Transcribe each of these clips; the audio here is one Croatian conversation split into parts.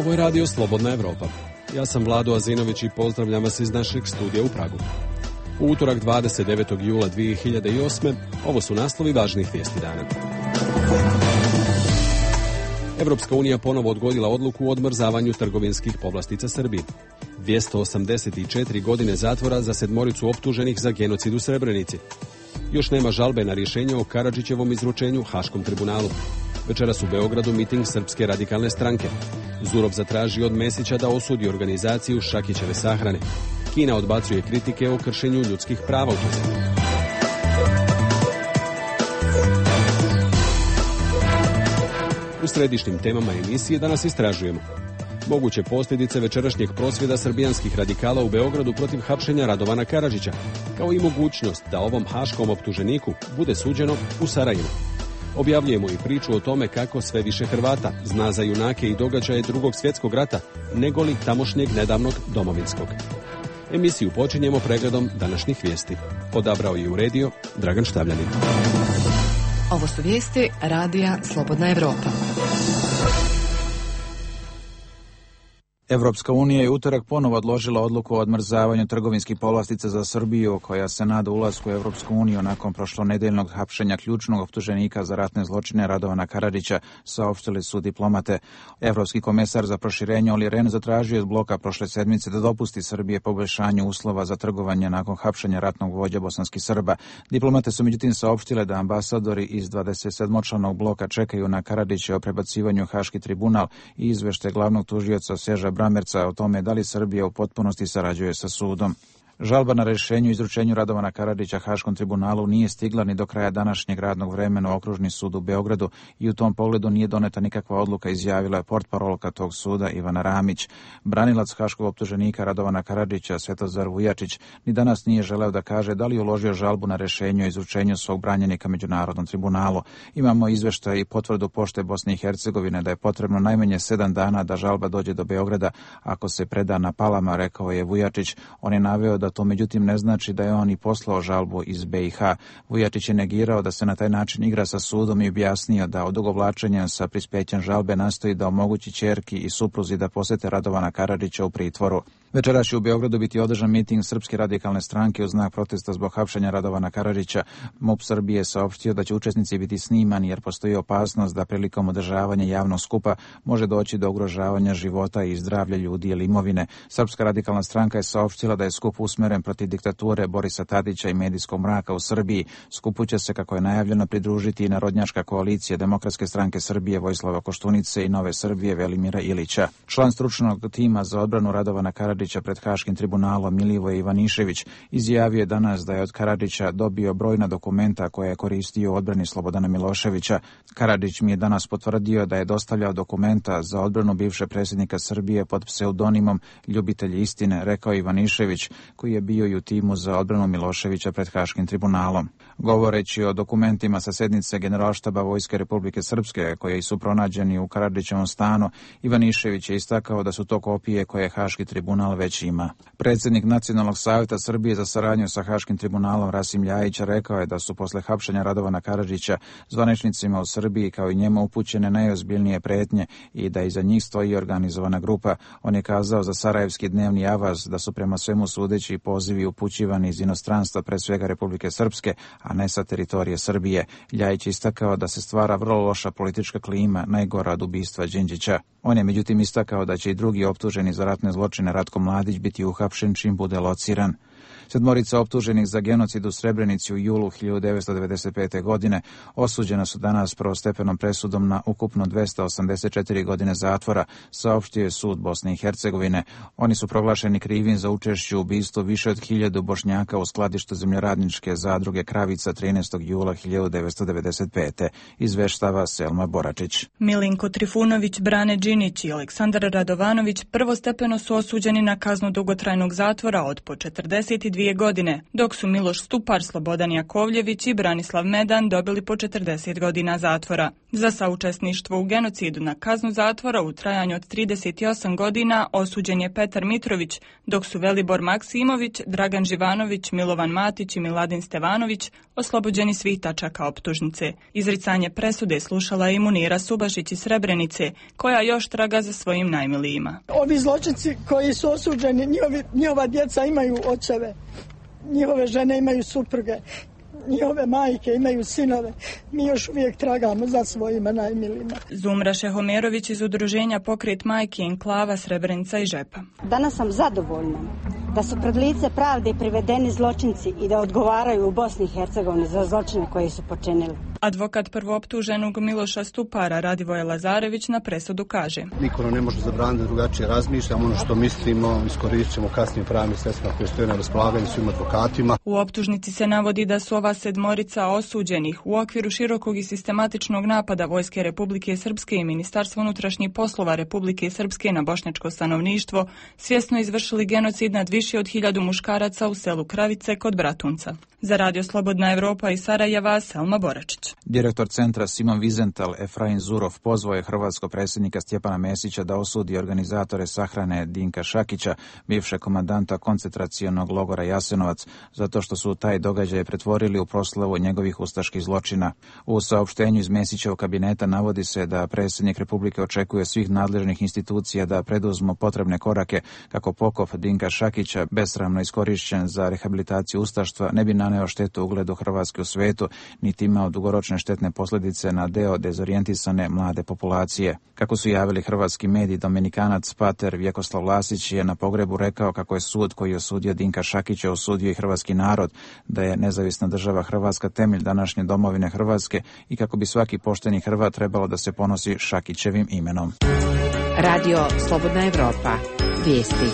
Ovo je radio Slobodna Evropa. Ja sam Vlado Azinović i pozdravljam vas iz našeg studija u Pragu. U utorak 29. jula 2008. ovo su naslovi važnih vijesti dana. Evropska unija ponovo odgodila odluku o odmrzavanju trgovinskih povlastica Srbiji. 284 godine zatvora za 7 optuženih za genocid u Srebrenici. Još nema žalbe na rješenje o Karadžićevom izručenju Haškom tribunalu. Večeras u Beogradu miting Srpske radikalne stranke. Zurov zatraži od Mesića da osudi organizaciju Šakićeve sahrane. Kina odbacuje kritike o kršenju ljudskih prava u toj zemlji. U središnjim temama emisije danas istražujemo moguće posljedice večerašnjeg prosvjeda srbijanskih radikala u Beogradu protiv hapšenja Radovana Karadžića, kao i mogućnost da ovom haškom optuženiku bude suđeno u Sarajevu. Objavljujemo i priču o tome kako sve više Hrvata zna za junake i događaje Drugog svjetskog rata, negoli tamošnjeg nedavnog domovinskog. Emisiju počinjemo pregledom današnjih vijesti. Odabrao i uredio Dragan Štavljanin. Ovo su vijesti radija Slobodna Evropa. Evropska unija je utorak ponovo odložila odluku o odmrzavanju trgovinskih povlastica za Srbiju, koja se nada ulasku u Evropsku uniju nakon prošlonedeljnog hapšenja ključnog optuženika za ratne zločine Radovana Karadžića, saopštili su diplomate. Evropski komesar za proširenje Olli Rehn zatražio je od bloka prošle sedmice da dopusti Srbije poboljšanju uslova za trgovanje nakon hapšenja ratnog vođa bosanskih Srba. Diplomate su međutim saopštile da ambasadori iz 27-članog bloka čekaju na Karadžića o prebacivanju u Haški tribunal i izveštaj glavnog tužioca Seža Bramerca o tome da li Srbija u potpunosti sarađuje sa sudom. Žalba na rješenju o izručenju Radovana Karadžića Haškom tribunalu nije stigla ni do kraja današnjeg radnog vremena u Okružni sud u Beogradu i u tom pogledu nije doneta nikakva odluka, izjavila je portparolka tog suda Ivana Ramić. Branilac haškog optuženika Radovana Karadžića Svetozar Vujačić ni danas nije želeo da kaže da li je uložio žalbu na rješenje o izručenju svog branjenika Međunarodnom tribunalu. Imamo izveštaj i potvrdu pošte Bosne i Hercegovine da je potrebno najmanje 7 dana da žalba dođe do Beograda ako se preda na Palama, rekao je Vujačić. On je naveo da to međutim ne znači da je on i poslao žalbu iz BiH. Vujačić je negirao da se na taj način igra sa sudom i objasnio da odugovlačenjem sa prispećem žalbe nastoji da omogući ćerki i supruzi da posete Radovana Karadžića u pritvoru. Večeras će u Beogradu biti održan miting Srpske radikalne stranke u znak protesta zbog hapšenja Radovana Karadžića. MUP Srbije je saopštio da će učesnici biti snimani jer postoji opasnost da prilikom održavanja javnog skupa može doći do ugrožavanja života i zdravlja ljudi ili imovine. Srpska radikalna stranka je saopštila da je skup usmeren protiv diktature Borisa Tadića i medijskog mraka u Srbiji. Skupu će se, kako je najavljeno, pridružiti i Narodnjačka koalicija Demokratske stranke Srbije Vojislava Koštunice i Nove Srbije Velimira Ilića. Član stručnog tima za odbranu Radovana Karadžića pred Haškim tribunalom Milivoje Ivanišević izjavio je danas da je od Karadžića dobio brojna dokumenta koje je koristio u odbrani Slobodana Miloševića. Karadžić mi je danas potvrdio da je dostavljao dokumenta za odbranu bivšeg predsjednika Srbije pod pseudonimom Ljubitelj istine, rekao Ivanišević, koji je bio i u timu za odbranu Miloševića pred Haškim tribunalom. Govoreći o dokumentima sa sednice Generalštaba Vojske Republike Srpske, koji su pronađeni u Karadžićevom stanu, Ivanišević je istakao da su to kopije koje Haški tribunal već ima. Predsjednik Nacionalnog savjeta Srbije za saradnju sa Haškim tribunalom Rasim Ljajić rekao je da su posle hapšenja Radovana Karadžića zvaničnicima u Srbiji kao i njemu upućene najozbiljnije pretnje i da iza njih stoji organizovana grupa. On je kazao za sarajevski dnevni avaz da su prema svemu sudeći pozivi upućivani iz inostranstva, pre svega Republike Srpske, a ne sa teritorije Srbije. Ljajić istakao da se stvara vrlo loša politička klima, najgora od ubistva Đinđića. On je međutim istakao da će i drugi optuženi za ratne zločine Ratko Mladić biti uhapšen čim bude lociran. 7 optuženih za genocid u Srebrenici u julu 1995. godine osuđena su danas prvostepenom presudom na ukupno 284 godine zatvora, saopštio je sud Bosne i Hercegovine. Oni su proglašeni krivim za učešće u ubistvu više od 1000 Bošnjaka u skladištu zemljoradničke zadruge Kravica 13. jula 1995. Izveštava Selma Boračić. Milinko Trifunović, Brane Đinić i Aleksandar Radovanović prvostepeno su osuđeni na kaznu dugotrajnog zatvora od po 42 22 godine, dok su Miloš Stupar, Slobodan Jakovljević i Branislav Medan dobili po 40 godina zatvora. Za saučesništvo u genocidu na kaznu zatvora u trajanju od 38 godina osuđen je Petar Mitrović, dok su Velibor Maksimović, Dragan Živanović, Milovan Matić i Miladin Stevanović oslobođeni svih tačaka optužnice. Izricanje presude slušala je i Munira Subašić iz Srebrenice, koja još traga za svojim najmilijima. Ovi zločinci koji su osuđeni, njihova djeca imaju očeve, njihove žene imaju supruge, njihove majke imaju sinove. Mi još uvijek tragamo za svojima najmilijima. Zumra Šehomerović iz udruženja Pokret majki Enklava Srebrenica i Žepa. Danas sam zadovoljna da su pred lice pravde privedeni zločinci i da odgovaraju u Bosni i Hercegovini za zločine koje su počinili. Advokat prvooptuženog Miloša Stupara Radivoje Lazarević na presudu kaže: niko nam ne može zabraniti drugačije razmišljamo, ono što mislimo iskoristit ćemo kasnije pravnim sredstvima koje stoje na raspolaganju svim advokatima. U optužnici se navodi da su ova sedmorica osuđenih u okviru širokog i sistematičnog napada Vojske Republike Srpske i Ministarstva unutrašnjih poslova Republike Srpske na bošnjačko stanovništvo svjesno izvršili genocid nad više od 1000 muškaraca u selu Kravice kod Bratunca. Za Radio Slobodna Evropa iz Sarajeva, Selma Boračić. Direktor centra Simon Wiesenthal Efraim Zurov pozvao je hrvatskog predsjednika Stjepana Mesića da osudi organizatore sahrane Dinka Šakića, bivšeg komandanta koncentracionog logora Jasenovac, zato što su taj događaj pretvorili u proslavu njegovih ustaških zločina. U saopštenju iz Mesićevog kabineta navodi se da predsjednik Republike očekuje svih nadležnih institucija da preduzmu potrebne korake kako pokop Dinka Šakića, besramno iskorišćen za rehabilitaciju ustaštva, ne bi naneo štetu ugledu Hrvatske u svetu, niti imao dugoročne štetne posljedice na deo dezorijentisane mlade populacije. Kako su javili hrvatski mediji, Dominikanac pater Vjekoslav Lasić je na pogrebu rekao kako je sud koji je osudio Dinka Šakića osudio i hrvatski narod, da je nezavisna država Hrvatska temelj današnje domovine Hrvatske i kako bi svaki pošteni Hrvat trebalo da se ponosi Šakićevim imenom. Radio Slobodna Evropa. Vijesti.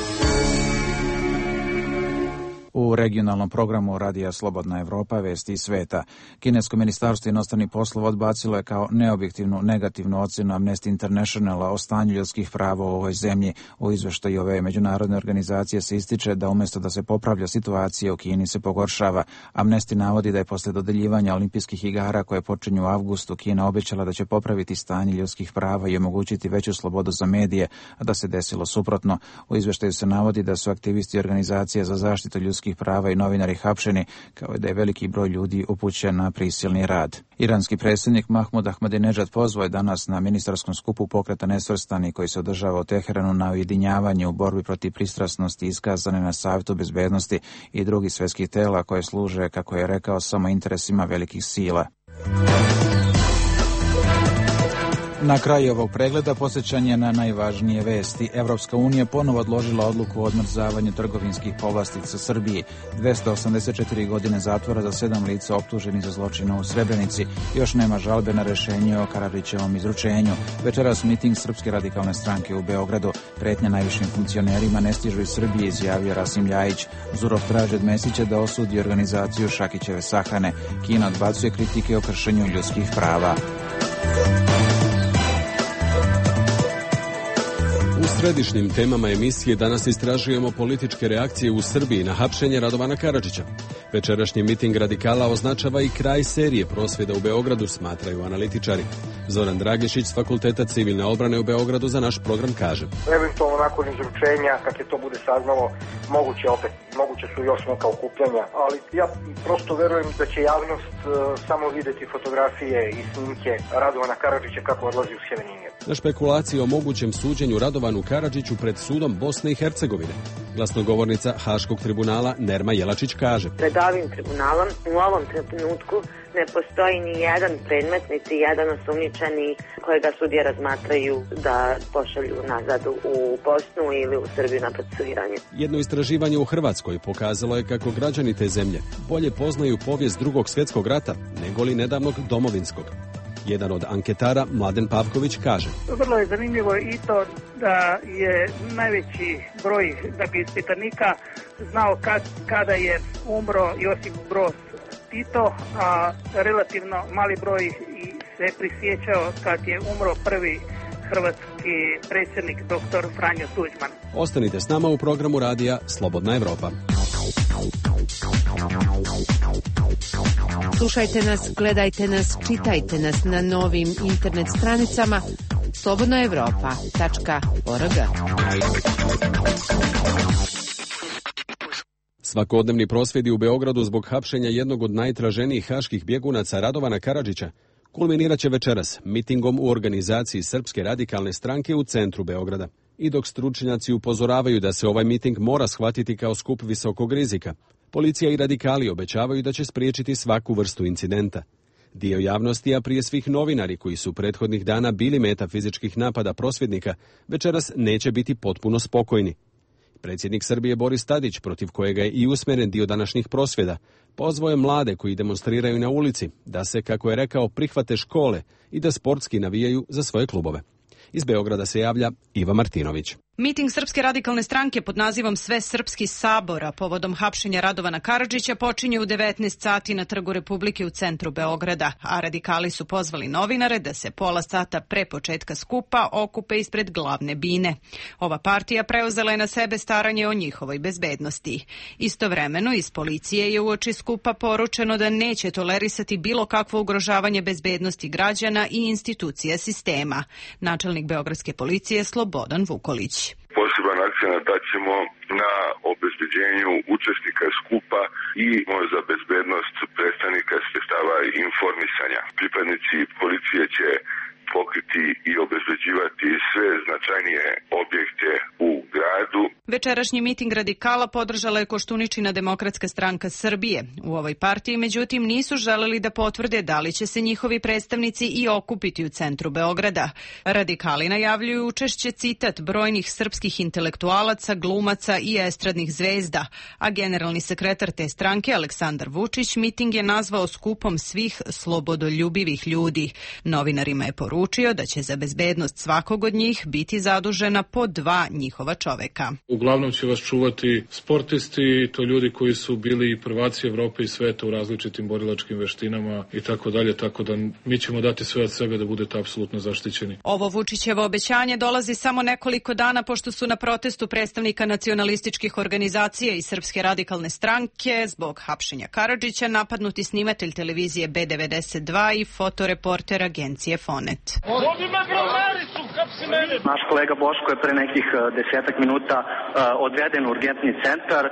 U regionalnom programu Radija Slobodna Evropa vesti iz sveta. Kinesko ministarstvo inostranih poslova odbacilo je kao neobjektivnu negativnu ocjenu Amnesty Internationala o stanju ljudskih prava u ovoj zemlji. U izveštaju ove međunarodne organizacije se ističe da umjesto da se popravlja situacija u Kini se pogoršava. Amnesty navodi da je posle dodeljivanja olimpijskih igara koje počinju u avgustu Kina obećala da će popraviti stanje ljudskih prava i omogućiti veću slobodu za medije, a da se desilo suprotno. U izveštaju se navodi da su aktivisti organizacije za zaštitu ljudskih prava i novinari hapšeni, kao i da je veliki broj ljudi upućen na prisilni rad. Iranski predsjednik Mahmud Ahmadinejad pozvao je danas na ministarskom skupu pokreta Nesvrstani koji se održava u Teheranu na ujedinjavanje u borbi protiv pristrasnosti iskazane na Savjetu bezbednosti i drugih svjetskih tela koje služe, kako je rekao, samo interesima velikih sila. Na kraju ovog pregleda posjećanje na najvažnije vesti. Evropska unija ponovo odložila odluku o odmrzavanju trgovinskih povlastica Srbiji. 284 godine zatvora za 7 lica optuženih za zločine u Srebrenici. Još nema žalbe na rješenje o Karadžićevom izručenju. Večeras miting Srpske radikalne stranke u Beogradu. Pretnja najvišim funkcionerima ne stižu iz Srbije, izjavio Rasim Ljajić. Zurov traži od Mesića da osudi organizaciju Šakićeve sahrane. Kina odbacuje kritike o kršenju ljudskih prava. U središnjim temama emisije danas istražujemo političke reakcije u Srbiji na hapšenje Radovana Karadžića. Večerašnji miting radikala označava i kraj serije prosvjeda u Beogradu, smatraju analitičari. Zoran Dragišić s Fakulteta civilne obrane u Beogradu za naš program kaže: eventualno nakon izručenja, kad se to bude saznalo, moguće su još neka okupljanja, ali ja prosto verujem da će javnost samo vidjeti fotografije i snimke Radovana Karadžića kako odlazi u Sjeveninje. Na špekulacije o mogućem suđenju Radovanu Karadžiću pred sudom Bosne i Hercegovine, glasnogovornica Haškog tribunala Nerma Jelačić kaže: pred ovim tribunalom u ovom trenutku ne postoji ni jedan predmet, niti jedan osumnjičeni kojega sudije razmatraju da pošalju nazad u Bosnu ili u Srbiju na procesuiranje. Jedno istraživanje u Hrvatskoj pokazalo je kako građani te zemlje bolje poznaju povijest Drugog svjetskog rata nego li nedavnog domovinskog. Jedan od anketara, Mladen Pavković, kaže: vrlo je zanimljivo i to da je najveći broj ispitanika znao kada je umro Josip Broz Tito, a relativno mali broj se prisjećao kad je umro prvi hrvatski predsjednik dr. Franjo Tuđman. Ostanite s nama u programu radija Slobodna Evropa. Slušajte nas, gledajte nas, čitajte nas na novim internet stranicama slobodnaevropa.org. Svakodnevni prosvjedi u Beogradu zbog hapšenja jednog od najtraženijih haških bjegunaca Radovana Karadžića kulminirat će večeras mitingom u organizaciji Srpske radikalne stranke u centru Beograda. I dok stručnjaci upozoravaju da se ovaj miting mora shvatiti kao skup visokog rizika, policija i radikali obećavaju da će spriječiti svaku vrstu incidenta. Dio javnosti, a prije svih novinari koji su prethodnih dana bili meta fizičkih napada prosvjednika, večeras neće biti potpuno spokojni. Predsjednik Srbije Boris Tadić, protiv kojega je i usmjeren dio današnjih prosvjeda, pozvao je mlade koji demonstriraju na ulici da se, kako je rekao, prihvate škole i da sportski navijaju za svoje klubove. Iz Beograda se javlja Iva Martinović. Miting Srpske radikalne stranke pod nazivom Sve srpski sabora povodom hapšenja Radovana Karadžića počinje u 19 sati na Trgu Republike u centru Beograda, a radikali su pozvali novinare da se pola sata pre početka skupa okupe ispred glavne bine. Ova partija preuzela je na sebe staranje o njihovoj bezbednosti. Istovremeno iz policije je uoči skupa poručeno da neće tolerisati bilo kakvo ugrožavanje bezbednosti građana i institucija sistema. Načelnik beogradske policije Slobodan Vukolić. Poseban akcenat daćemo na obezbeđenju učesnika skupa i za bezbednost predstavnika sredstava informisanja. Pripadnici policije će pokriti i obezbeđivati sve značajnije objekte u gradu. Večerašnji miting radikala podržala je Koštuničina Demokratska stranka Srbije. U ovoj partiji, međutim, nisu želeli da potvrde da li će se njihovi predstavnici i okupiti u centru Beograda. Radikali najavljuju učešće, citat, brojnih srpskih intelektualaca, glumaca i estradnih zvezda, a generalni sekretar te stranke Aleksandar Vučić miting je nazvao skupom svih slobodoljubivih ljudi. Novinarima je poručio da će za bezbednost svakog od njih biti zadužena po 2 njihova čoveka. Uglavnom će vas čuvati sportisti, to ljudi koji su bili prvaci Evrope i sveta u različitim borilačkim veštinama i tako dalje, tako da mi ćemo dati sve od sebe da budete apsolutno zaštićeni. Ovo Vučićevo obećanje dolazi samo nekoliko dana pošto su na protestu predstavnika nacionalističkih organizacija i Srpske radikalne stranke zbog hapšenja Karadžića napadnuti snimatelj televizije B92 i fotoreporter agencije Fonet. Naš kolega Boško je pre nekih 10 minuta odveden u urgentni centar.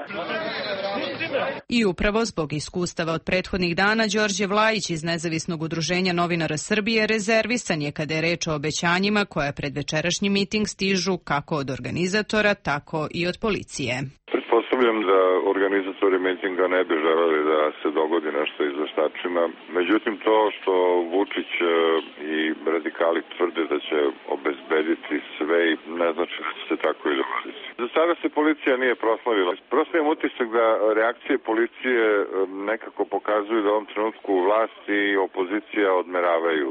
I upravo zbog iskustava od prethodnih dana, Đorđe Vlajić iz Nezavisnog udruženja novinara Srbije rezervisan je kada je reč o obećanjima koja pred večerašnji miting stižu kako od organizatora, tako i od policije. Pretpostavljam da organizatori mitinga ne bi želeli da se dogodi nešto izveštačima. Međutim, to što Vučić i radikali tvrde da će obezbediti sve i ne znači da će se tako i dogoditi. Za sada se policija nije proslavila. Prosto imam utisak da reakcije policije nekako pokazuju da u ovom trenutku vlast i opozicija odmeravaju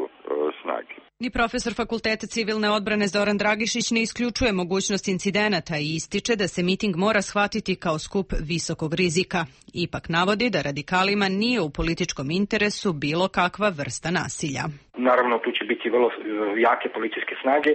snage. Ni profesor Fakulteta civilne odbrane Zoran Dragišić ne isključuje mogućnost incidenata i ističe da se miting mora shvatiti kao skup visokog rizika. Ipak navodi da radikalima nije u političkom interesu bilo kakva vrsta nasilja. Naravno, tu će biti vrlo jake policijske snage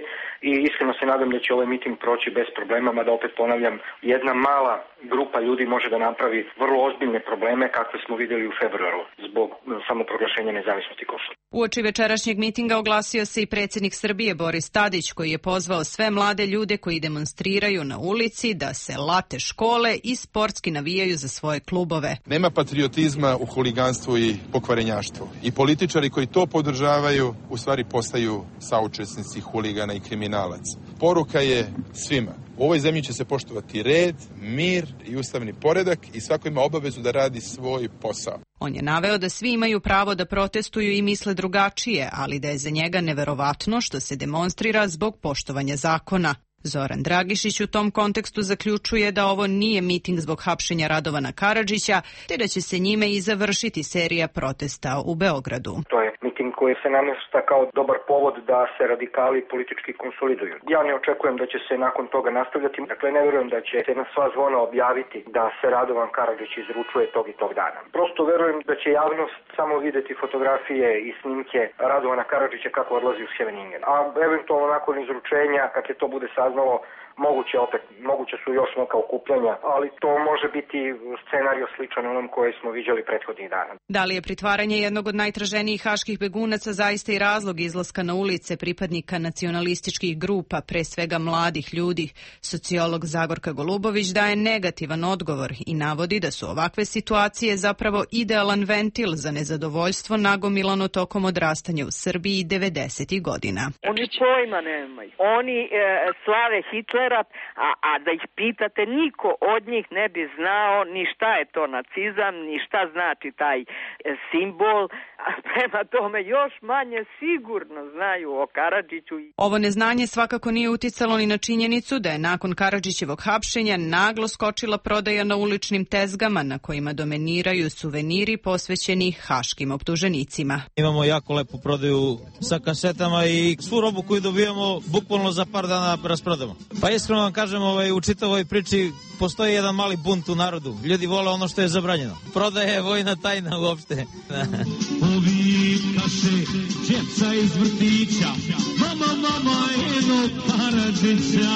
i iskreno se nadam da će ovaj miting proći bez problema, mada opet ponavljam, jedna mala grupa ljudi može da napravi vrlo ozbiljne probleme kakve smo vidjeli u februaru zbog samoproglašenja nezavisnosti Kosova. Uoči večerašnjeg mitinga oglasio se i predsjednik Srbije Boris Tadić koji je pozvao sve mlade ljude koji demonstriraju na ulici da se late škole i sportski navijaju za svoje klubove. Nema patriotizma u huliganstvu i pokvarenjaštvu. I političari koji to podržavaju u stvari postaju saučesnici huligana i kriminalaca. Poruka je svima. U ovoj zemlji će se poštovati red, mir i ustavni poredak i svako ima obavezu da radi svoj posao. On je naveo da svi imaju pravo da protestuju i misle drugačije, ali da je za njega neverovatno što se demonstrira zbog poštovanja zakona. Zoran Dragišić u tom kontekstu zaključuje da ovo nije miting zbog hapšenja Radovana Karadžića, te da će se njime i završiti serija protesta u Beogradu. To je miting koji se namješta kao dobar povod da se radikali politički konsoliduju. Ja ne očekujem da će se nakon toga nastavljati. Dakle, ne vjerujem da će se na sva zvona objaviti da se Radovan Karadžić izručuje tog i tog dana. Prosto vjerujem da će javnost samo vidjeti fotografije i snimke Radovana Karadžića kako odlazi u Scheveningen. A eventualno nakon izručenja, kad je to bude saznalo, moguće su još neka okupljanja, ali to može biti scenario sličan onom koji smo viđali prethodnih dana. Da li je pritvaranje jednog od najtraženijih haških begunaca zaista i razlog izlaska na ulice pripadnika nacionalističkih grupa, pre svega mladih ljudi? Sociolog Zagorka Golubović daje negativan odgovor i navodi da su ovakve situacije zapravo idealan ventil za nezadovoljstvo nagomilano tokom odrastanja u Srbiji 90. godina. Oni pojma nemaju. Oni slave Hitlera, a da ih pitate, niko od njih ne bi znao ni šta je to nacizam, ni šta znači taj simbol, a prema tome još manje sigurno znaju o Karadžiću. Ovo neznanje svakako nije uticalo ni na činjenicu da je nakon Karadžićevog hapšenja naglo skočila prodaja na uličnim tezgama na kojima dominiraju suveniri posvećeni haškim optuženicima. Imamo jako lepu prodaju sa kasetama i svu robu koju dobijamo bukvalno za par dana rasprodamo. Pa iskreno vam kažem, u čitavoj priči postoji jedan mali bunt u narodu. Ljudi vole ono što je zabranjeno. Prodaja je vojna tajna uopšte. Povikaše djeca iz vrtića, mama, eno Karadžića.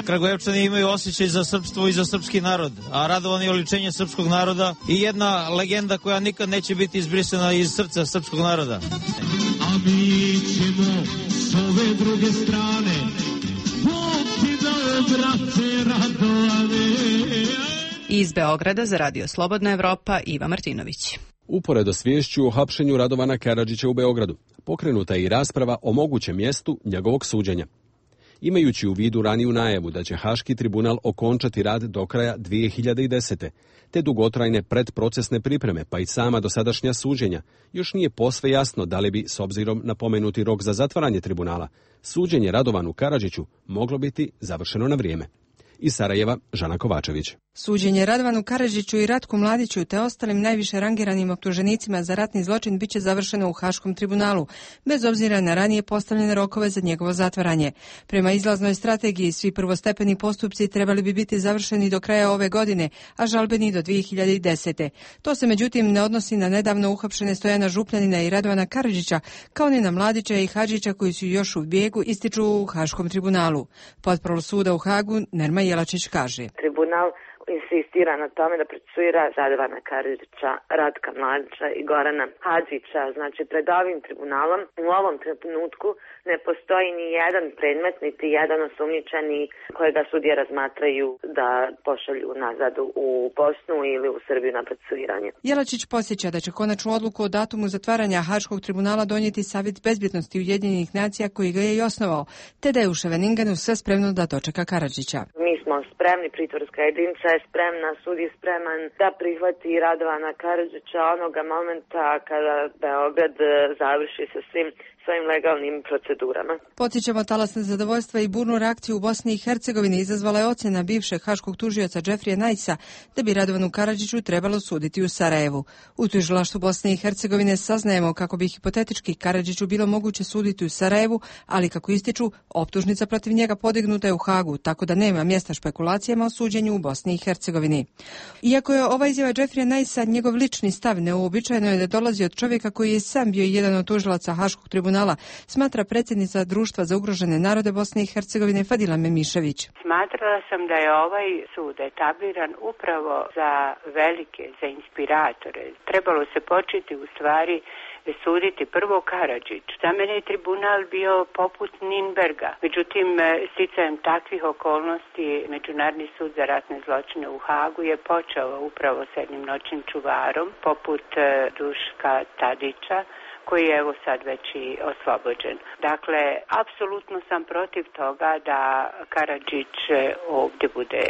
Kragujevčani imaju osjećaj za srpstvo i za srpski narod, a Radovan je oličenje srpskog naroda i jedna legenda koja nikad neće biti izbrisana iz srca srpskog naroda. A mi ćemo s ove druge strane, Bog ti dao, brate Radovane. Iz Beograda za Radio Slobodna Evropa, Iva Martinović. Uporedo s viješću o hapšenju Radovana Karadžića u Beogradu, pokrenuta je i rasprava o mogućem mjestu njegovog suđenja. Imajući u vidu raniju najavu da će Haški tribunal okončati rad do kraja 2010. te dugotrajne predprocesne pripreme, pa i sama dosadašnja suđenja, još nije posve jasno da li bi, s obzirom na pomenuti rok za zatvaranje tribunala, suđenje Radovanu Karadžiću moglo biti završeno na vrijeme. Iz Sarajeva, Žana Kovačević. Suđenje Radovanu Karadžiću i Ratku Mladiću te ostalim najviše rangiranim optuženicima za ratni zločin biće završeno u Haškom tribunalu, bez obzira na ranije postavljene rokove za njegovo zatvaranje. Prema izlaznoj strategiji, svi prvostepeni postupci trebali bi biti završeni do kraja ove godine, a žalbeni do 2010. To se međutim ne odnosi na nedavno uhapšene Stojana Župljanina i Radovana Karadžića, kao ni na Mladića i Hadžića koji su još u bijegu, ističu u Haškom tribunalu. Portparol suda u Hagu, Nerma Jelačić kaže. Tribunal insistira na tome da procesuira Radovana Karadžića, Ratka Mladića i Gorana Hadžića. Znači, pred ovim tribunalom u ovom trenutku ne postoji ni jedan predmet, niti jedan osumnjičeni kojega sudije razmatraju da pošalju nazad u Bosnu ili u Srbiju na procesuiranje. Jelačić podsjeća da će konačnu odluku o datumu zatvaranja Haškog tribunala donijeti Savjet bezbjednosti Ujedinjenih nacija koji ga je i osnovao, te da je u Ševeningenu sve spremno da dočeka Karadžića. Mi smo spremni, pritvorska jedinica je spremna, sud je spreman da prihvati Radovana Karadžića onoga momenta kada Beograd završi sa svim svojim legalnim procedurama. Podsjećamo, talas nezadovoljstva i burnu reakciju u Bosni i Hercegovini izazvala je ocjena bivšeg haškog tužioca Džefrija Najsa da bi Radovanu Karadžiću trebalo suditi u Sarajevu. U tužilaštvu Bosne i Hercegovine saznajemo kako bi hipotetički Karadžiću bilo moguće suditi u Sarajevu, ali kako ističu, optužnica protiv njega podignuta je u Hagu, tako da nema mjesta špekulacijama o suđenju u Bosni i Hercegovini. Iako je ova izjava Džefrija Najsa njegov lični stav, neuobičajeno je da dolazi od čovjeka koji je sam bio jedan od tužilaca Haškog tribunala, smatra predsjednica Društva za ugrožene narode Bosne i Hercegovine Fadila Memišević. Smatrala sam da je ovaj sud etabliran upravo za velike, za inspiratore. Trebalo se početi u stvari suditi prvo Karadžić. Za mene je tribunal bio poput Ninberga. Međutim, sticajem takvih okolnosti, Međunarodni sud za ratne zločine u Hagu je počeo upravo s jednim noćnim čuvarom, poput Duška Tadića, koji je evo sad već i oslobođen. Dakle, apsolutno sam protiv toga da Karadžić ovdje bude,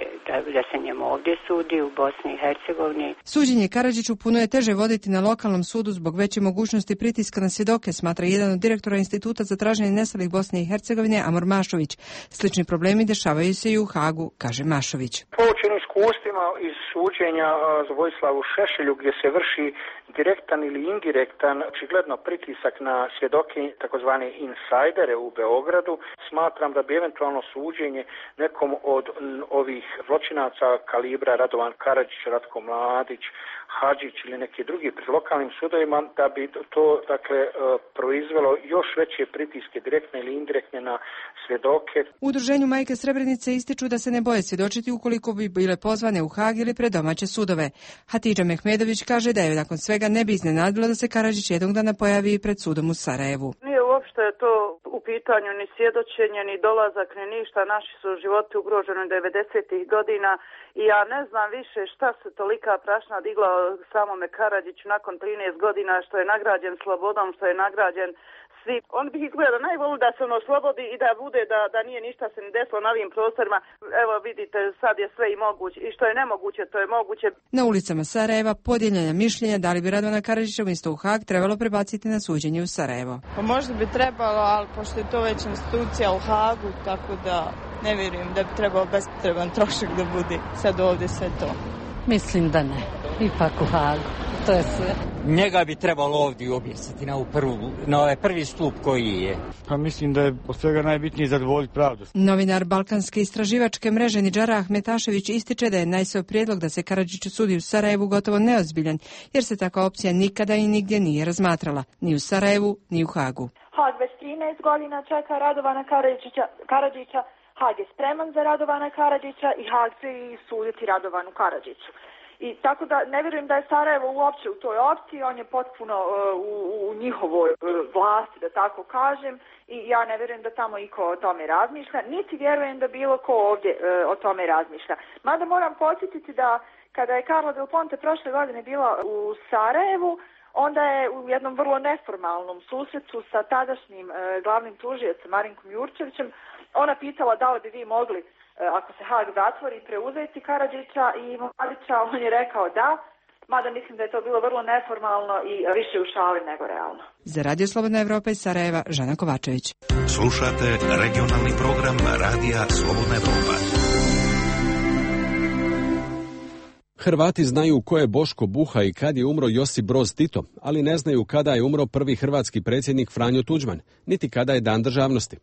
da se njemu ovdje sudi u Bosni i Hercegovini. Suđenje Karadžiću puno je teže voditi na lokalnom sudu zbog veće mogućnosti pritiska na svjedoke, smatra jedan od direktora Instituta za traženje nestalih Bosne i Hercegovine Amor Mašović. Slični problemi dešavaju se i u Hagu, kaže Mašović. Poučen iskustvima iz suđenja Vojislavu Šešelju gdje se vrši direktan ili indirektan, očigledno pritisak na svjedoke, takozvane insajdere u Beogradu. Smatram da bi eventualno suđenje nekom od ovih zločinaca kalibra Radovan Karadžić, Ratko Mladić, Hadžić ili neki drugi pred lokalnim sudovima, da bi to proizvelo još veće pritiske direktne ili indirektne na svjedoke. U udruženju Majke Srebrenice ističu da se ne boje svjedočiti ukoliko bi bile pozvane u Hag ili pred domaće sudove. Hatidža Mehmedović kaže da je nakon svega ne bi iznenadilo da se Karadžić jednog dana pojavi pred sudom u Sarajevu. Nije uopšte to u pitanju ni svjedočenje, ni dolazak, ni ništa. Naši su životi ugroženi 90-ih godina i ja ne znam više šta se tolika prašna digla samome Karadžiću nakon 13 godina što je nagrađen slobodom, što je nagrađen svi. On bi izgleda najvoli da se on oslobodi i da bude da nije ništa se ni desilo na ovim prostorima. Evo vidite, sad je sve i moguće. I što je nemoguće, to je moguće. Na ulicama Sarajeva podijeljena mišljenja da li bi Radovana Karadžića umjesto u Hag trebalo prebaciti na suđenje u Sarajevo. Pa možda bi trebalo, ali pošto je to već institucija u Hagu, tako da ne vjerujem da bi trebalo bespotreban trošak da bude sad ovdje sve to. Mislim da ne. Ipak u Hagu. To je sve. Njega bi trebalo ovdje objesiti na ovaj prvi stup koji je. Pa mislim da je od svega najbitnije zadovoljiti pravdu. Novinar Balkanske istraživačke mreže Nidžara Ahmetašević ističe da je Najsov prijedlog da se Karadžić sudi u Sarajevu gotovo neozbiljan, jer se takva opcija nikada i nigdje nije razmatrala, ni u Sarajevu, ni u Hagu. Hag već 13 godina čeka Radovana Karadžića. Hag je spreman za Radovana Karadžića i Hag će i suditi Radovanu Karadžiću. I tako da ne vjerujem da je Sarajevo uopće u toj opciji, on je potpuno u njihovoj vlasti, da tako kažem, i ja ne vjerujem da tamo iko o tome razmišlja, niti vjerujem da bilo ko ovdje o tome razmišlja. Mada moram podsjetiti da kada je Carla Del Ponte prošle godine bila u Sarajevu, onda je u jednom vrlo neformalnom susretu sa tadašnjim glavnim tužiocem Marinkom Jurčevićem ona pitala da li bi vi mogli, ako se Hag zatvori, preuzeti Karadžića i Mladića. On je rekao da, mada mislim da je to bilo vrlo neformalno i više u šali nego realno. Za Radio Slobodna Evropa iz Sarajeva, Žana Kovačević. Slušate regionalni program Radija Slobodna Evropa. Hrvati znaju ko je Boško Buha i kad je umro Josip Broz Tito, ali ne znaju kada je umro prvi hrvatski predsjednik Franjo Tuđman, niti kada je Dan državnosti.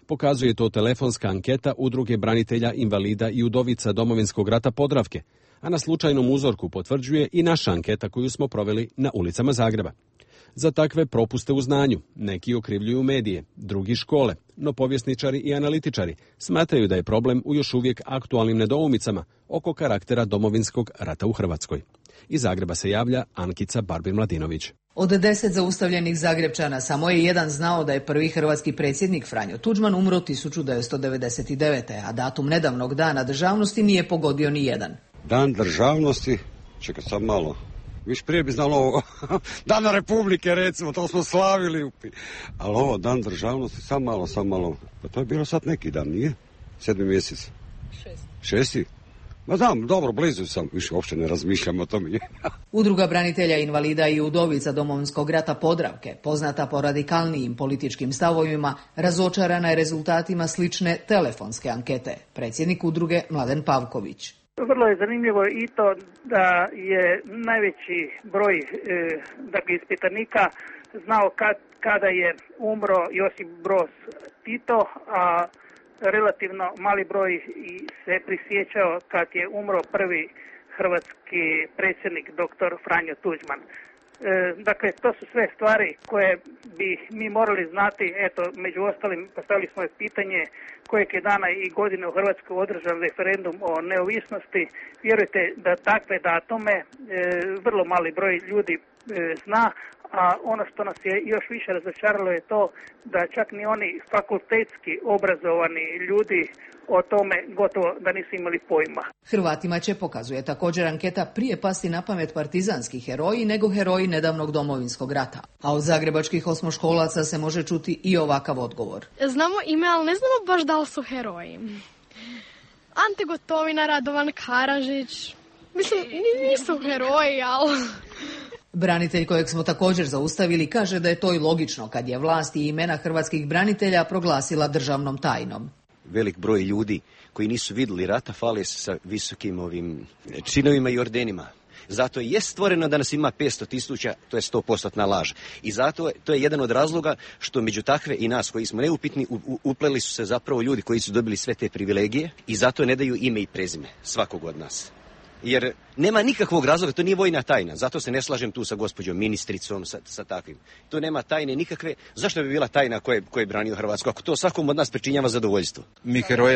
Pokazuje to telefonska anketa Udruge branitelja, invalida i udovica Domovinskog rata Podravke, a na slučajnom uzorku potvrđuje i naša anketa koju smo proveli na ulicama Zagreba. Za takve propuste u znanju neki okrivljuju medije, drugi škole, no povjesničari i analitičari smatraju da je problem u još uvijek aktualnim nedoumicama oko karaktera Domovinskog rata u Hrvatskoj. Iz Zagreba se javlja Ankica Barbir-Mladinović. Od 10 zaustavljenih Zagrepčana samo je jedan znao da je prvi hrvatski predsjednik Franjo Tuđman umro 1999. a datum nedavnog dana državnosti nije pogodio ni jedan. Dan državnosti, čekaj sad malo, viš prije bi znalo ovo, Dan Republike recimo, to smo slavili, ali ovo Dan državnosti, sam malo, pa to je bilo sad neki dan, nije? 7. mjesec. 6. Ma znam, dobro, blizu sam, više uopće ne razmišljam o tome. Udruga branitelja, invalida i udovica Domovinskog rata Podravke, poznata po radikalnijim političkim stavovima, razočarana je rezultatima slične telefonske ankete. Predsjednik udruge Mladen Pavković. Vrlo je zanimljivo i to da je najveći broj ispitanika znao kada je umro Josip Broz Tito, a relativno mali broj se prisjećao kad je umro prvi hrvatski predsjednik dr. Franjo Tuđman. Dakle, to su sve stvari koje bi mi morali znati. Eto, među ostalim postavili smo pitanje kojeg je dana i godine u Hrvatskoj održan referendum o neovisnosti. Vjerujte da takve datume vrlo mali broj ljudi zna, a ono što nas je još više razočaralo je to da čak ni oni fakultetski obrazovani ljudi o tome gotovo da nisu imali pojma. Hrvatima će, pokazuje također anketa, prije pasti na pamet partizanski heroji nego heroji nedavnog Domovinskog rata. A od zagrebačkih osmoškolaca se može čuti i ovakav odgovor. Znamo ime, ali ne znamo baš da li su heroji. Ante Gotovina, Radovan Karadžić, mislim, nisu heroji, ali... Branitelj kojeg smo također zaustavili kaže da je to i logično kad je vlast i imena hrvatskih branitelja proglasila državnom tajnom. Velik broj ljudi koji nisu vidjeli rata fale se sa visokim činovima i ordenima. Zato je stvoreno da nas ima 500.000, to je 100% laž. I zato to je jedan od razloga što među takve i nas koji smo neupitni upleli su se zapravo ljudi koji su dobili sve te privilegije i zato ne daju ime i prezime svakog od nas. Jer nema nikakvog razloga, to nije vojna tajna, zato se ne slažem tu sa gospođom ministricom, sa takvim. To nema tajne nikakve, zašto bi bila tajna ko je branio Hrvatsku, ako to svakom od nas pričinjava zadovoljstvo?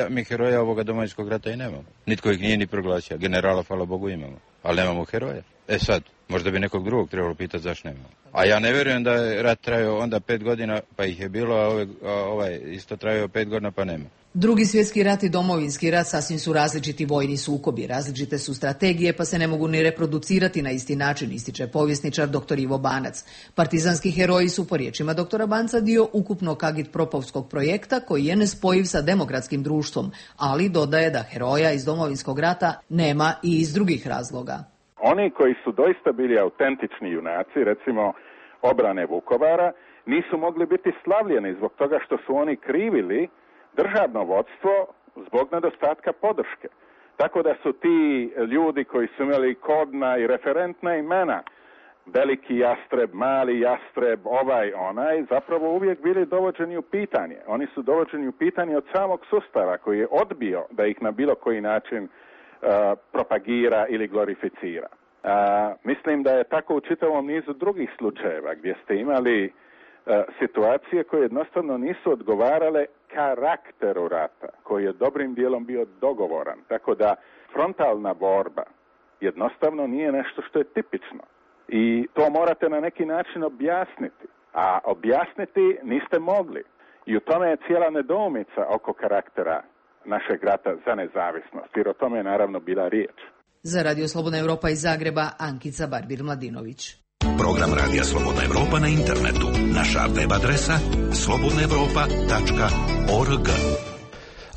Mi heroja ovoga Domovinskog rata i nemamo. Nitko ih nije ni proglasio, generala, hvala Bogu, imamo, ali nemamo heroja. Sad, možda bi nekog drugog trebalo pitati zašto nemamo. A ja ne vjerujem da je rat trajao onda 5 godina, pa ih je bilo, a ovaj isto trajao 5 godina, pa nema. Drugi svjetski rat i Domovinski rat sasvim su različiti vojni sukobi, različite su strategije pa se ne mogu ni reproducirati na isti način, ističe povjesničar dr. Ivo Banac. Partizanski heroji su po riječima dr. Banca dio ukupnog agitpropovskog projekta koji je nespojiv sa demokratskim društvom, ali dodaje da heroja iz Domovinskog rata nema i iz drugih razloga. Oni koji su doista bili autentični junaci, recimo obrane Vukovara, nisu mogli biti slavljeni zbog toga što su oni krivili državno vodstvo zbog nedostatka podrške. Tako da su ti ljudi koji su imali kodna i referentna imena, veliki jastreb, mali jastreb, ovaj, onaj, zapravo uvijek bili dovođeni u pitanje. Oni su dovođeni u pitanje od samog sustava koji je odbio da ih na bilo koji način propagira ili glorificira. Mislim da je tako u čitavom nizu drugih slučajeva gdje ste imali situacije koje jednostavno nisu odgovarale karakteru rata, koji je dobrim dijelom bio dogovoran. Tako da frontalna borba jednostavno nije nešto što je tipično. I to morate na neki način objasniti. A objasniti niste mogli. I u tome je cijela nedoumica oko karaktera našeg rata za nezavisnost, jer o tome je naravno bila riječ. Za Radio Slobodna Europa iz Zagreba, Ankica Barbir-Mladinović. Program Radija Slobodna Europa na internetu. Naša web adresa slobodnaevropa.org.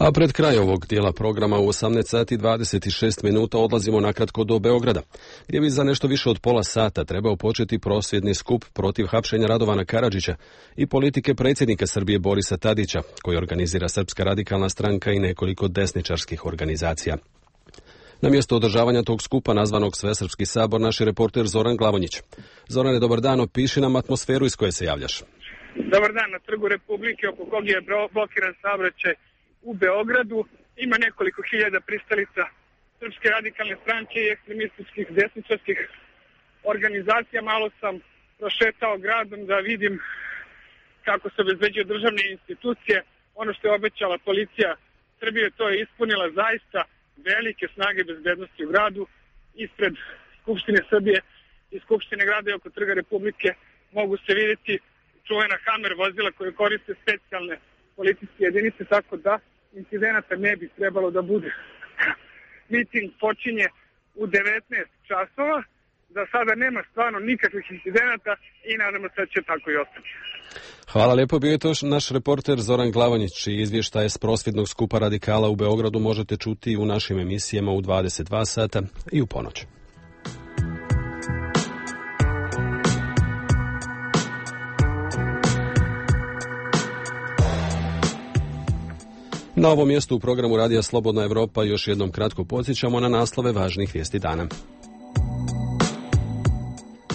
A pred kraj ovog dijela programa u 18:26 odlazimo nakratko do Beograda, gdje bi za nešto više od pola sata trebao početi prosvjedni skup protiv hapšenja Radovana Karadžića i politike predsjednika Srbije Borisa Tadića, koji organizira Srpska radikalna stranka i nekoliko desničarskih organizacija. Na mjesto održavanja tog skupa, nazvanog Svesrpski sabor, naš je reporter Zoran Glavonjić. Zorane, dobar dan, opiši nam atmosferu iz koje se javljaš. Dobar dan, na Trgu Republike, oko kog je blokiran saobraćaj u Beogradu, ima nekoliko hiljada pristalica Srpske radikalne stranke i ekstremističkih desničarskih organizacija. Malo sam prošetao gradom da vidim kako se obezbeđuju državne institucije. Ono što je obećala policija Srbije, to je ispunila, zaista velike snage bezbednosti u gradu. Ispred Skupštine Srbije i Skupštine grada i oko Trga Republike mogu se vidjeti čuvena Hammer vozila koje koriste specijalne policijske jedinice, tako da incidenata ne bi trebalo da bude. Miting počinje u 19 časova, za sada nema stvarno nikakvih incidenata i nadamo se da će tako i ostati. Hvala lijepo, bio je to naš reporter Zoran Glavonjić. I izvještaje s prosvjednog skupa radikala u Beogradu možete čuti u našim emisijama u 22 sata i u ponoć. Na ovom mjestu u programu Radija Slobodna Europa još jednom kratko podsjećamo na naslove važnih vijesti dana.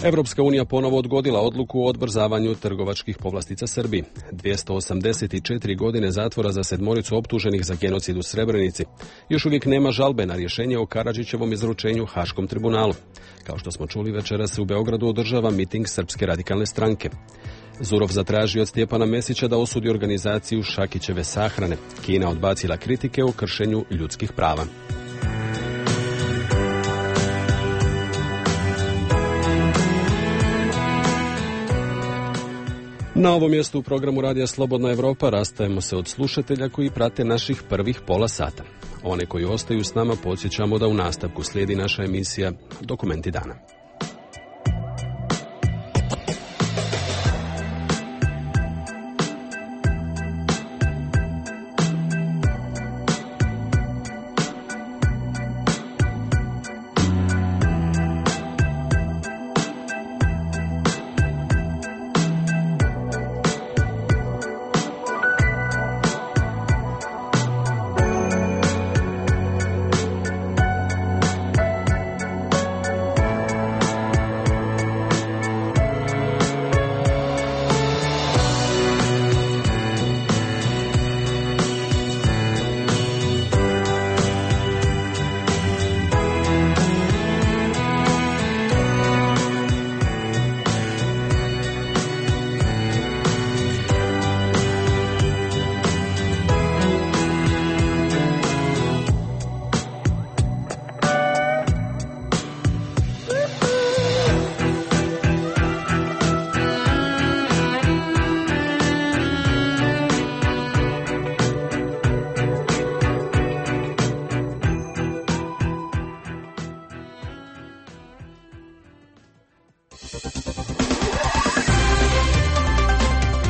Evropska unija ponovo odgodila odluku o odbrzavanju trgovačkih povlastica Srbiji. 284 godine zatvora za 7 optuženih za genocid u Srebrenici. Još uvijek nema žalbe na rješenje o Karadžićevom izručenju Haškom tribunalu. Kao što smo čuli, večeras se u Beogradu održava miting Srpske radikalne stranke. Zurov zatražio od Stjepana Mesića da osudi organizaciju Šakićeve sahrane. Kina odbacila kritike o kršenju ljudskih prava. Na ovom mjestu u programu Radija Slobodna Europa rastajemo se od slušatelja koji prate naših prvih pola sata. One koji ostaju s nama podsjećamo da u nastavku slijedi naša emisija Dokumenti dana.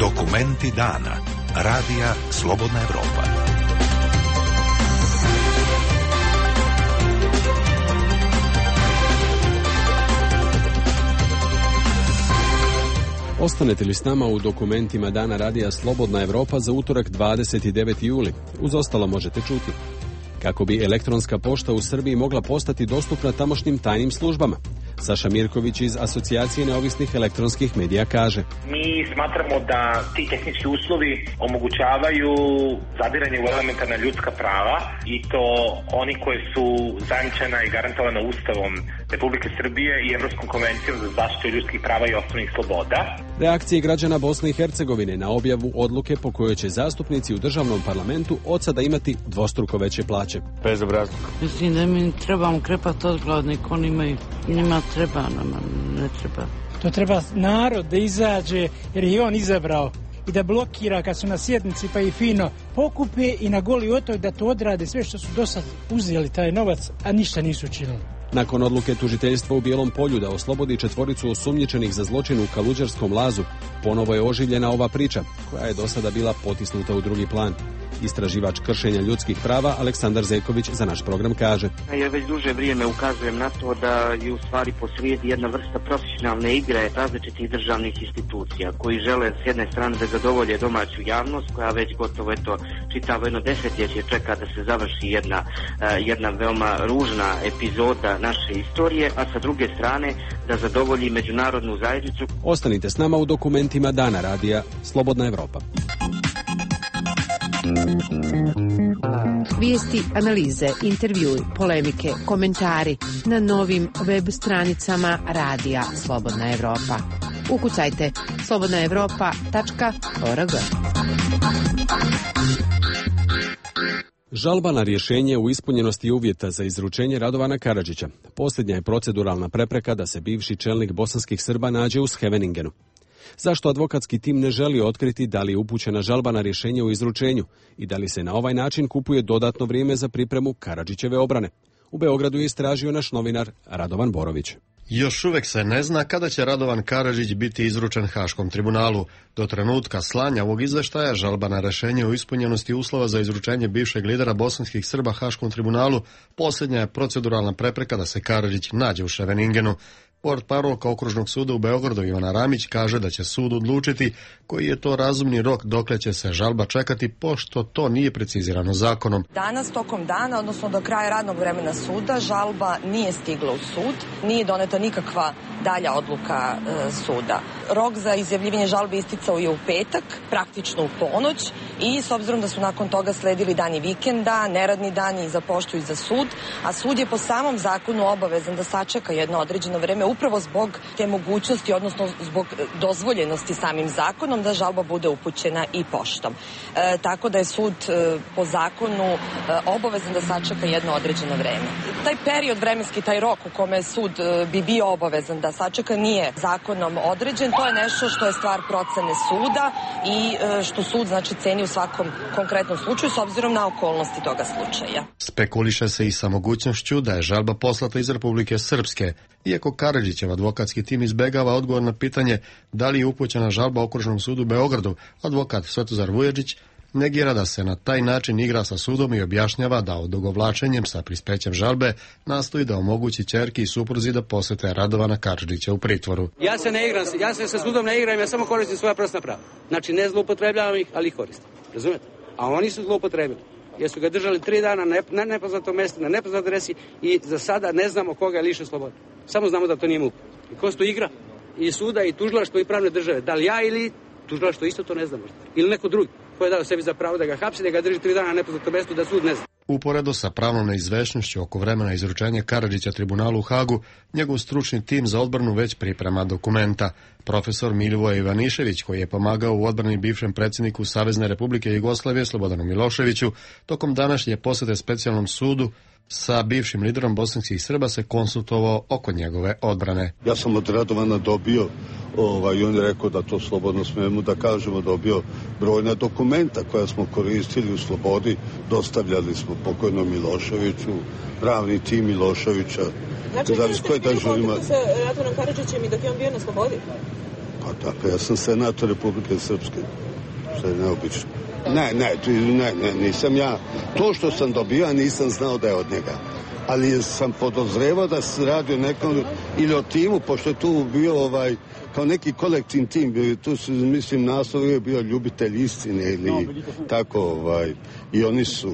Dokumenti dana. Radija Slobodna Evropa. Ostanete li s nama u dokumentima dana radija Slobodna Evropa za utorak 29. juli? Uz ostalo možete čuti kako bi elektronska pošta u Srbiji mogla postati dostupna tamošnjim tajnim službama. Saša Mirković iz Asocijacije neovisnih elektronskih medija kaže: Mi smatramo da ti tehnički uslovi omogućavaju zadiranje u elementarna ljudska prava i to oni koje su zajamčena i garantovana Ustavom Republike Srbije i Evropskom konvencijom za zaštitu ljudskih prava i osnovnih sloboda. Reakcije građana Bosne i Hercegovine na objavu odluke po kojoj će zastupnici u državnom parlamentu od sada imati dvostruko veće plaće. Bezobrazno. Mislim da mi trebamo krepati odgladnik, oni imaju, njima treba, nama ne treba. To treba narod da izađe, jer je on izabrao, i da blokira kad su na sjednici, pa i fino pokupe i na goli otok da to odrade sve što su do sad uzeli taj novac, a ništa nisu učinili. Nakon odluke tužiteljstva u Bijelom Polju da oslobodi 4 osumnjičenih za zločin u Kaluđerskom lazu, ponovo je oživljena ova priča, koja je do sada bila potisnuta u drugi plan. Istraživač kršenja ljudskih prava Aleksandar Zeković za naš program kaže: Ja već duže vrijeme ukazujem na to da je u stvari posrijedi jedna vrsta profesionalne igre različitih državnih institucija koji žele s jedne strane da zadovolje domaću javnost koja već gotovo čitavo jedno desetljeće čeka da se završi jedna veoma ružna epizoda naše istorije, a sa druge strane da zadovolji međunarodnu zajednicu. Ostanite s nama u dokumentima dana radija Slobodna Evropa. Vijesti, analize, intervjui, polemike, komentari na novim web stranicama radija Slobodna Evropa. Ukucajte slobodnaevropa.org. Žalba na rješenje u ispunjenosti uvjeta za izručenje Radovana Karadžića posljednja je proceduralna prepreka da se bivši čelnik bosanskih Srba nađe u Scheveningenu. Zašto advokatski tim ne želi otkriti da li je upućena žalba na rješenje u izručenju i da li se na ovaj način kupuje dodatno vrijeme za pripremu Karadžićeve obrane? U Beogradu je istražio naš novinar Radovan Borović. Još uvijek se ne zna kada će Radovan Karadžić biti izručen Haškom tribunalu. Do trenutka slanja ovog izveštaja žalba na rješenje o ispunjenosti uslova za izručenje bivšeg lidera bosanskih Srba Haškom tribunalu posljednja je proceduralna prepreka da se Karadžić nađe u Scheveningenu. Portparolka Okružnog suda u Beogradu Ivana Ramić kaže da će sud odlučiti koji je to razumni rok dokle će se žalba čekati, pošto to nije precizirano zakonom. Danas tokom dana, odnosno do kraja radnog vremena suda, žalba nije stigla u sud, nije doneta nikakva dalja odluka suda. Rok za izjavljivanje žalbe isticao je u petak, praktično u ponoć, i s obzirom da su nakon toga sledili dani vikenda, neradni dani i za poštu i za sud, a sud je po samom zakonu obavezan da sačeka jedno određeno vreme upravo zbog te mogućnosti, odnosno zbog dozvoljenosti samim zakonom da žalba bude upućena i poštom. Tako da je sud po zakonu obavezan da sačeka jedno određeno vreme. Taj period vremenski, taj rok u kome sud bi bio obavezan da sačeka nije zakonom određen. To je nešto što je stvar procene suda i što sud znači ceni u svakom konkretnom slučaju s obzirom na okolnosti toga slučaja. Spekuliše se i sa mogućnošću da je žalba poslata iz Republike Srpske. Iako Karadžićev advokatski tim izbegava odgovor na pitanje da li je upućena žalba Okružnom sudu u Beogradu, advokat Svetozar Vujačić negira da se na taj način igra sa sudom i objašnjava da odugovlačenjem sa prispećem žalbe nastoji da omogući ćerki i supruzi da posete Radovana Karadžića u pritvoru. Ja se sa sudom ne igram, ja samo koristim svoja prostorna prava. Znači ne zloupotrebljavam ih, ali ih koristim. Razumete? A oni su zloupotrebili. Jer su ga držali 3 dana na nepoznatom mjestu, na nepoznatoj adresi i za sada ne znamo koga je lišen slobode. Samo znamo da to nije MUP. I ko to igra? I suda, i tužilaštvo, i pravne države. Da li ja ili tužilaštvo isto to ne znamo. Ili neko drugi ko je dao sebi za pravo da ga hapsi, da ga drži 3 dana na nepoznatom mjestu, da sud ne zna. Uporedo sa pravnom neizvešnošću oko vremena izručenja Karadžića tribunalu u Hagu, njegov stručni tim za odbranu već priprema dokumenta. Profesor Milivoje Ivanišević, koji je pomagao u odbrani bivšem predsjedniku Savezne Republike Jugoslavije Slobodanu Miloševiću, tokom današnje posjete specijalnom sudu sa bivšim liderom bosanskih Srba se konsultovao oko njegove odbrane. Ja sam od Radovana dobio, i on je rekao da to slobodno smijemo da kažemo, dobio brojna dokumenta koja smo koristili u slobodi, dostavljali smo pokojnom Miloševiću, pravni tim Miloševića. Znači, vi ste bili u kontaktu sa Radovanom Karadžićem i dok je on bio na slobodi? Pa tako, ja sam senator Republike Srpske, što je neobično. Ne, nisam ja. To što sam dobio, nisam znao da je od njega. Ali sam podozrevao da se radi o nekom ili o timu, pošto je tu bio kao neki kolektivni tim, tu su, mislim, naslov je bio ljubitelj istine ili tako, i oni su,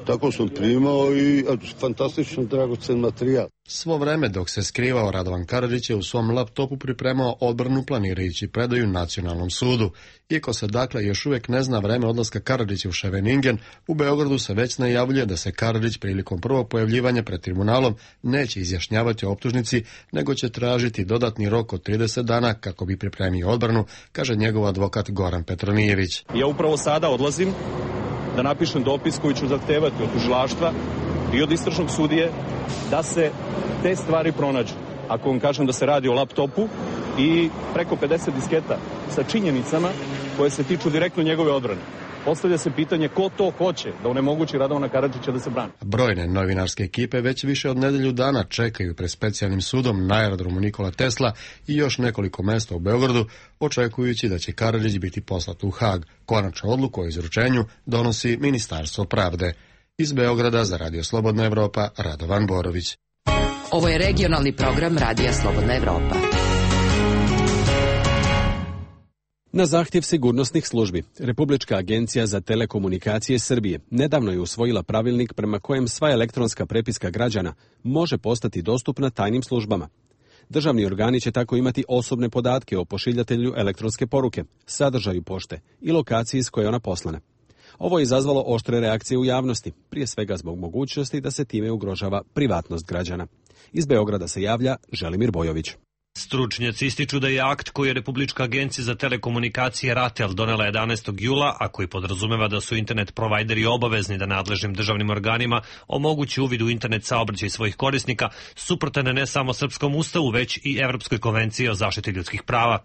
tako sam primao i fantastično dragocen materijal. Svo vreme dok se skrivao, Radovan Karadžić je u svom laptopu pripremao odbranu planirajući predaju Nacionalnom sudu. Iako se dakle još uvijek ne zna vreme odlaska Karadžića u Scheveningen, u Beogradu se već najavljuje da se Karadžić prilikom prvog pojavljivanja pred tribunalom neće izjašnjavati o optužnici, nego će tražiti dodatni rok od 30 dana kako bi pripremio odbranu, kaže njegov advokat Goran Petronijević. Ja upravo sada odlazim da napišem dopis koji ću zahtevati od tužilaštva i od istražnog sudije da se te stvari pronađu. Ako vam kažem da se radi o laptopu i preko 50 disketa sa činjenicama koje se tiču direktno njegove odbrane. Postavlja se pitanje ko to hoće da onemogući Radovana Karadžića da se brani. Brojne novinarske ekipe već više od nedelju dana čekaju pred specijalnim sudom na aerodromu Nikola Tesla i još nekoliko mesta u Beogradu, očekujući da će Karadžić biti poslat u Hag. Konačnu odluku o izručenju donosi Ministarstvo pravde. Iz Beograda za Radio Slobodna Evropa, Radovan Borović. Ovo je regionalni program Radija Slobodna Evropa. Na zahtjev sigurnosnih službi, Republička agencija za telekomunikacije Srbije nedavno je usvojila pravilnik prema kojem sva elektronska prepiska građana može postati dostupna tajnim službama. Državni organi će tako imati osobne podatke o pošiljatelju elektronske poruke, sadržaju pošte i lokaciji s koje je ona poslana. Ovo je izazvalo oštre reakcije u javnosti, prije svega zbog mogućnosti da se time ugrožava privatnost građana. Iz Beograda se javlja Želimir Bojović. Stručnjaci ističu da je akt koji je Republička agencija za telekomunikacije RATEL donela 11. jula, a koji podrazumeva da su internet provajderi obavezni da nadležnim državnim organima omogući uvid u internet saobraćaj svojih korisnika, suprotan ne samo Srpskom ustavu, već i Evropskoj konvenciji o zaštiti ljudskih prava.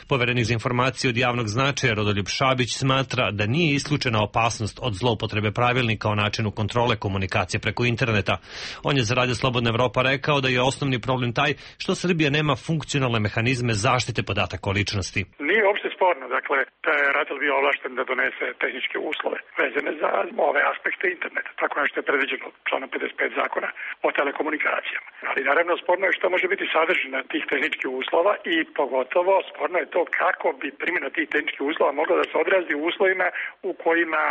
Poverenik za informacije od javnog značaja Rodoljub Šabić smatra da nije isključena opasnost od zloupotrebe pravilnika o načinu kontrole komunikacije preko interneta. On je za Radio Slobodna Evropa rekao da je osnovni problem taj što Srbija nema funkcionalne mehanizme zaštite podataka o ličnosti. Nije uopšte sporno, dakle, da je RATEL bio ovlašten da donese tehničke uslove vezane za ove aspekte interneta, tako nešto je predviđeno članom 55 zakona o telekomunikacijama. Ali naravno sporno je što može biti sadržina tih tehničkih uslova i pogotovo sporno je to kako bi primjena tih tehničkih uslova mogla da se odrazi u uslovima u kojima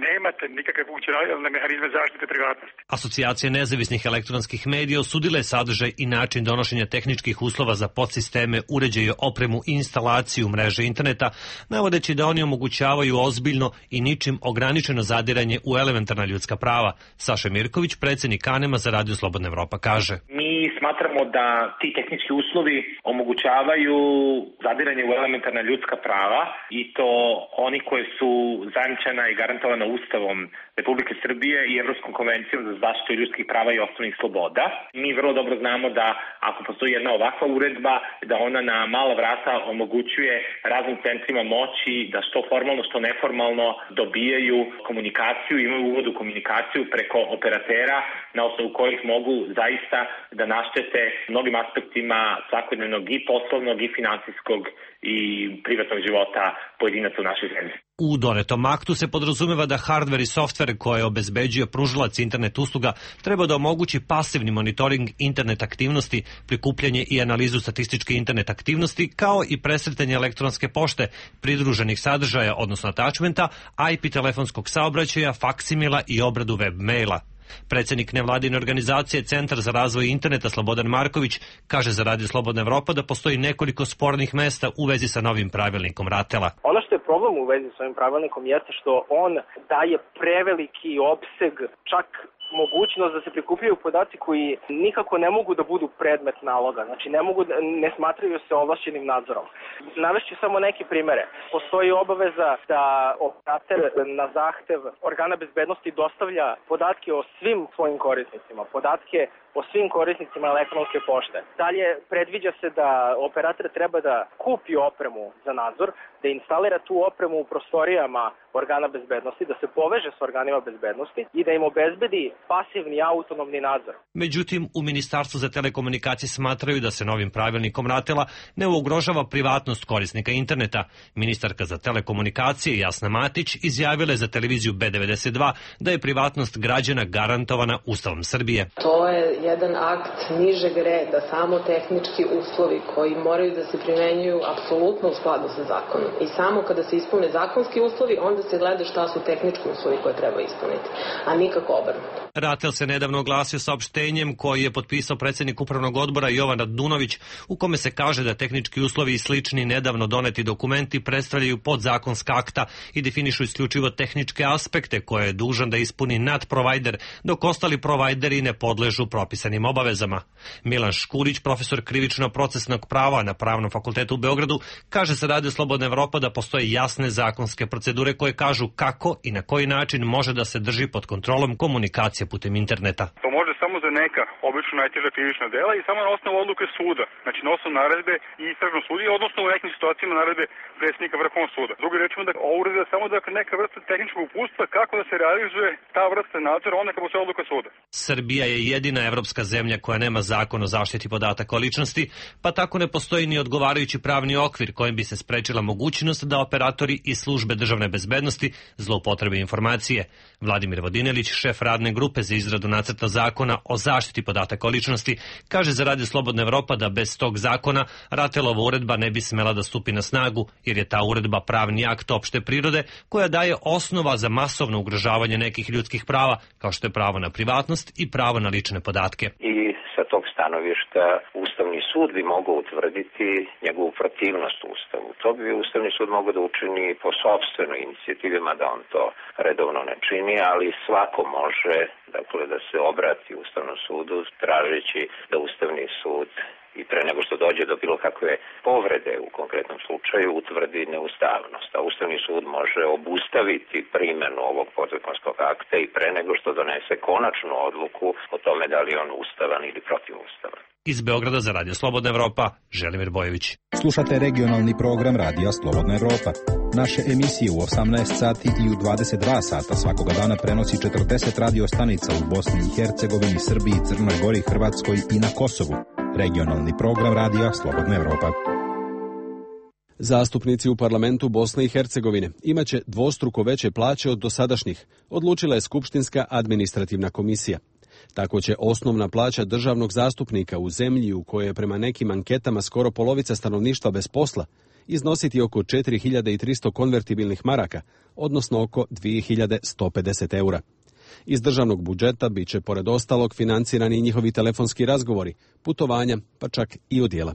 nemate nikakve funkcionalne mehanizme zaštite privatnosti. Asocijacija nezavisnih elektronskih medija osudila je sadržaj i način donošenja tehničkih uslova za podsisteme, uređaje, opremu i instalaciju mreže interneta, navodeći da oni omogućavaju ozbiljno i ničim ograničeno zadiranje u elementarna ljudska prava. Saša Mirković, predsjednik Kanema za Radio Slobodna Evropa, kaže: Mi smatramo da ti tehnički uslovi omogućavaju zadiranje u elementarna ljudska prava i to oni koje su zajamčena i garantovana Ustavom Republike Srbije i Evropskom konvencijom za zaštitu ljudskih prava i osnovnih sloboda. Mi vrlo dobro znamo da ako postoji jedna ovakva uredba, da ona na mala vrata omogućuje raznim centrima moći da što formalno, što neformalno dobijaju komunikaciju, imaju uvod u komunikaciju preko operatera na osnovu kojih mogu zaista da naštete mnogim aspektima svakodnevnog i poslovnog i finansijskog i privatnog života pojedinaca u našoj zemlji. U donetom aktu se podrazumeva da hardver i softver koje obezbeđuje pružalac internet usluga treba da omogući pasivni monitoring internet aktivnosti, prikupljanje i analizu statističke internet aktivnosti, kao i presretanje elektronske pošte, pridruženih sadržaja, odnosno attachmenta, IP telefonskog saobraćaja, faksimila i obradu web maila. Predsjednik nevladine organizacije Centar za razvoj interneta Slobodan Marković kaže za Radio Slobodna Evropa da postoji nekoliko spornih mesta u vezi sa novim pravilnikom RATEL-a. Ono što je problem u vezi sa ovim pravilnikom jeste što on daje preveliki opseg, čak mogućnost da se prikupljaju podaci koji nikako ne mogu da budu predmet naloga, znači ne smatraju se ovlašćenim nadzorom. Navešću samo neke primere. Postoji obaveza da operator na zahtev organa bezbednosti dostavlja podatke o svim svojim korisnicima, podatke o svim korisnicima elektronske pošte. Dalje, predviđa se da operator treba da kupi opremu za nadzor, da instalira tu opremu u prostorijama organa bezbednosti, da se poveže s organima bezbednosti i da im obezbedi pasivni autonomni nadzor. Međutim, u Ministarstvu za telekomunikacije smatraju da se novim pravilnikom RATEL-a ne ugrožava privatnost korisnika interneta. Ministarka za telekomunikacije Jasna Matić izjavila je za televiziju B92 da je privatnost građana garantovana Ustavom Srbije. To je jedan akt nižeg reda, samo tehnički uslovi koji moraju da se primenjuju apsolutno u skladu sa zakonom. I samo kada se ispune zakonski uslovi, onda se gleda šta su tehnički uslovi koje treba ispuniti, a nikako obrnuto. RATEL se nedavno oglasio saopštenjem koji je potpisao predsjednik upravnog odbora Jovan Radunović, u kome se kaže da tehnički uslovi i slični nedavno doneti dokumenti predstavljaju podzakonska akta i definišu isključivo tehničke aspekte koje je dužan da ispuni nadprovajder, dok ostali provajderi ne podležu propisanim obavezama. Milan Škurić, profesor krivično-procesnog prava na Pravnom fakultetu u Beogradu, kaže se Radio Slobodna Evropa da postoje jasne zakonske procedure koje kažu kako i na koji način može da se drži pod kontrolom komunikacije putem interneta. To može samo za neka obično najteža krivična dela i samo na osnovu odluke suda, znači na osnovu naredbe i istražnog sudije, odnosno u nekim situacijama naredbe predsjednika Vrhovnog suda. Drugi rečima da ovo uređuje samo neka vrsta tehničkog uputstva kako da se realizuje ta vrsta nadzora onda kad postoji odluka suda. Srbija je jedina evropska zemlja koja nema zakon o zaštiti podataka o ličnosti, pa tako ne postoji ni odgovarajući pravni okvir kojim bi se sprečila mogućnost da operatori i službe državne bezbednosti zloupotrebe informacije. Vladimir Vodinelić, šef radne grupe za izradu nacrta zakona o zaštiti podataka o ličnosti, kaže za Radio Slobodna Evropa da bez tog zakona RATEL-ova uredba ne bi smela da stupi na snagu, jer je ta uredba pravni akt opšte prirode koja daje osnova za masovno ugrožavanje nekih ljudskih prava, kao što je pravo na privatnost i pravo na lične podatke. I sa tog stanovišta Ustavni sud bi mogao utvrditi njegovu protivnost Ustavu. To bi Ustavni sud mogao da učini po sopstvenoj inicijativi, mada on to redovno ne čini, ali svako može da se obrati Ustavnom sudu tražeći da Ustavni sud i pre nego što dođe do bilo kakve povrede u konkretnom slučaju utvrdi neustavnost. A Ustavni sud može obustaviti primjenu ovog podzakonskog akta i pre nego što donese konačnu odluku o tome da li je on ustavan ili protivustavan. Iz Beograda za Radio Slobodna Evropa, Želimir Bojević. Slušate regionalni program Radija Slobodna Evropa. Naše emisije u 18 sati i u 22 sata svakoga dana prenosi 40 radio stanica u Bosni i Hercegovini, Srbiji, Crnoj Gori, Hrvatskoj i na Kosovu. Regionalni program Radija Slobodna Evropa. Zastupnici u parlamentu Bosne i Hercegovine imaće dvostruko veće plaće od dosadašnjih, odlučila je Skupštinska administrativna komisija. Tako će osnovna plaća državnog zastupnika u zemlji u kojoj je prema nekim anketama skoro polovica stanovništva bez posla iznositi oko 4300 konvertibilnih maraka, odnosno oko 2150 eura. Iz državnog budžeta bit će pored ostalog financirani njihovi telefonski razgovori, putovanja, pa čak i odjela.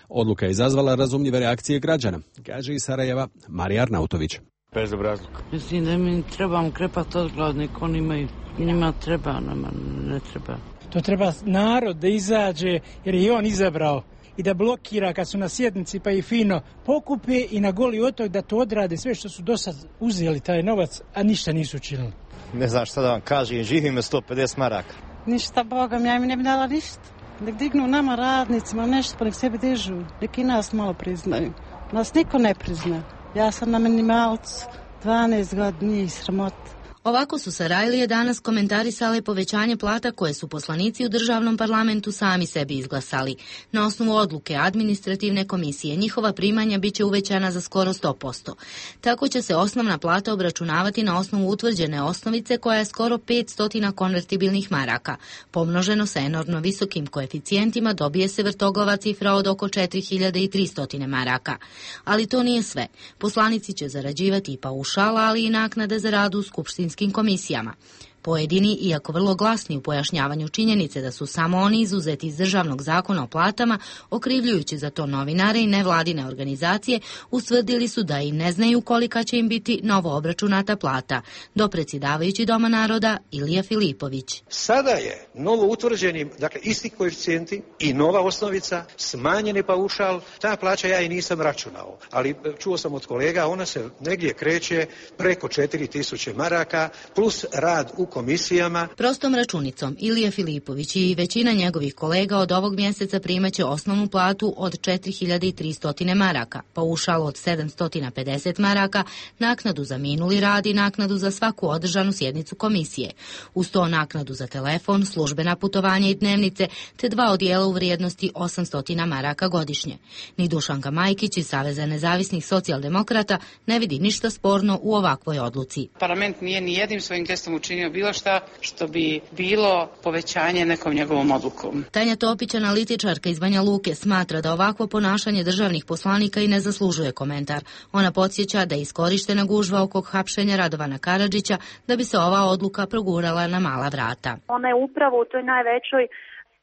Odluka je izazvala razumljive reakcije građana, kaže iz Sarajeva Marija Arnautović. Bez obrazluk. Mislim da mi trebamo krepati odglednik, oni imaju, njima treba, nama ne treba. To treba narod da izađe, jer je on izabrao, i da blokira kad su na sjednici pa i fino pokupe i na Goli otok da to odrade sve što su do sad uzeli taj novac, a ništa nisu učinili. Ne znam šta da vam kažem, živim 150 maraka. Ništa, Bogom, ja im ne bi dala ništa. Nek dignu nama radnicima nešto, pa nek sebi dižu. Nek i nas malo priznaju. Nas niko ne prizna. Ja sam na minimalcu 12 godina i sramota. Ovako su Sarajlije danas komentarisale povećanje plata koje su poslanici u državnom parlamentu sami sebi izglasali. Na osnovu odluke administrativne komisije njihova primanja biće uvećana za skoro 100%. Tako će se osnovna plata obračunavati na osnovu utvrđene osnovice koja je skoro 500 konvertibilnih maraka. Pomnoženo sa enormno visokim koeficijentima dobije se vrtoglava cifra od oko 4300 maraka. Ali to nije sve. Poslanici će zarađivati i paušala, ali i naknade za rad u skupštinskim komisijama. Pojedini, iako vrlo glasni u pojašnjavanju činjenice da su samo oni izuzeti iz državnog zakona o platama, okrivljujući za to novinare i nevladine organizacije, ustvrdili su da i ne znaju kolika će im biti novo obračunata plata. Dopredsjedavajući Doma naroda Ilija Filipović. Sada je novo utvrđeni, dakle isti koeficijenti i nova osnovica, smanjeni paušal, ta plaća ja i nisam računao, ali čuo sam od kolega, ona se negdje kreće preko 4000 maraka plus rad u komisijama. Prostom računicom Ilija Filipović i većina njegovih kolega od ovog mjeseca primaće osnovnu platu od 4300 maraka, paušal od 750 maraka, naknadu za minuli rad i naknadu za svaku održanu sjednicu komisije. Uz to naknadu za telefon, službena putovanja i dnevnice, te 2 odijela u vrijednosti 800 maraka godišnje. Ni Dušanka Majkić iz Saveza nezavisnih socijaldemokrata ne vidi ništa sporno u ovakvoj odluci. Parlament nije ni jednim svojim gestom učinio bilo šta što bi bilo povećanje nekom njegovom odlukom. Tanja Topić, analitičarka iz Banja Luke, smatra da ovakvo ponašanje državnih poslanika i ne zaslužuje komentar. Ona podsjeća da je iskorištena gužva oko hapšenja Radovana Karadžića da bi se ova odluka progurala na mala vrata. Ona je upravo u toj najvećoj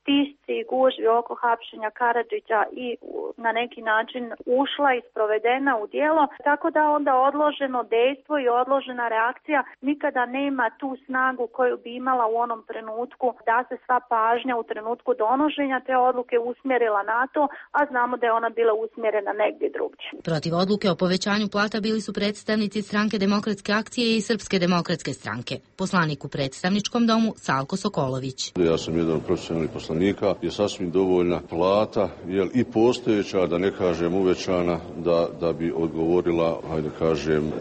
stisci i gužvi oko hapšenja Karadžića i na neki način ušla i sprovedena u djelo, tako da onda odloženo dejstvo i odložena reakcija nikada nema tu snagu koju bi imala u onom trenutku da se sva pažnja u trenutku donošenja te odluke usmjerila na to, a znamo da je ona bila usmjerena negdje drugdje. Protiv odluke o povećanju plata bili su predstavnici Stranke demokratske akcije i Srpske demokratske stranke. Poslanik u predstavničkom domu Salko Sokolović. Ja sam jedan profesionalni poslanik, je sasvim dovoljna plata, i postojeća, da ne kažem uvećana, da bi odgovorila, hajde kažem,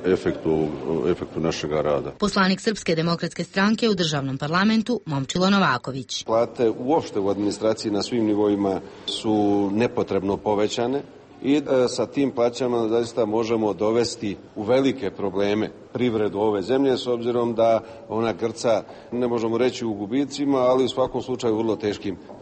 efektu našega rada. Poslanik Srpske demokratske stranke u državnom parlamentu Momčilo Novaković. Plate uopšte u administraciji na svim nivoima su nepotrebno povećane i sa tim plaćama zaista možemo dovesti u velike probleme privredu ove zemlje, s obzirom da ona grca, ne možemo reći u gubicima, ali u svakom slučaju vrlo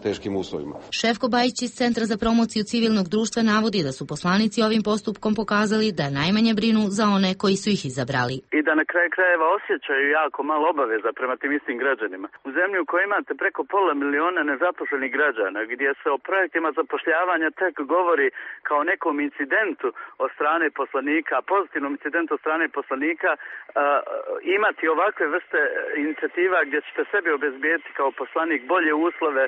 teškim uslovima. Šefko Bajić iz Centra za promociju civilnog društva navodi da su poslanici ovim postupkom pokazali da najmanje brinu za one koji su ih izabrali. I da na kraju krajeva osjećaju jako malo obaveza prema tim istim građanima. U zemlji u kojoj imate preko 500.000 nezaposlenih građana, gdje se o projektima zapošljavanja tek govori kao nekom incidentu od strane poslanika, pozitivnom incidentu od strane poslanika, imati ovakve vrste inicijativa gdje ćete sebi obezbijeti kao poslanik bolje uslove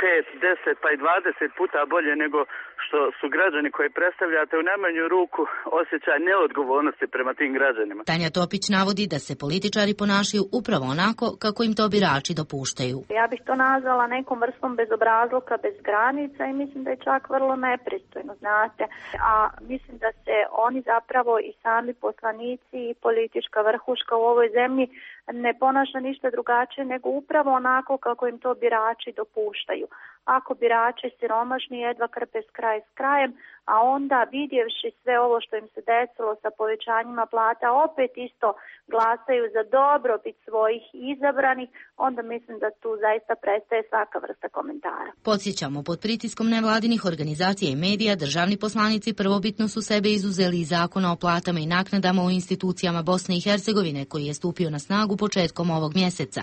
5, 10 pa i 20 puta bolje nego što su građani koji predstavljate, u najmanju ruku osjećaj neodgovornosti prema tim građanima. Tanja Topić navodi da se političari ponašaju upravo onako kako im to birači dopuštaju. Ja bih to nazvala nekom vrstom bezobrazluka, bez granica i mislim da je čak vrlo nepristojno, znate. A mislim da se oni zapravo i sami poslanici i politička vrhuška u ovoj zemlji ne ponaša ništa drugačije nego upravo onako kako im to birači dopuštaju. Ako birači siromašni jedva krpe kraj s krajem, a onda vidjevši sve ovo što im se desilo sa povećanjima plata, opet isto glasaju za dobrobit svojih izabranih, onda mislim da tu zaista prestaje svaka vrsta komentara. Podsjećamo, pod pritiskom nevladinih organizacija i medija, državni poslanici prvobitno su sebe izuzeli iz zakona o platama i naknadama u institucijama Bosne i Hercegovine, koji je stupio na snagu početkom ovog mjeseca.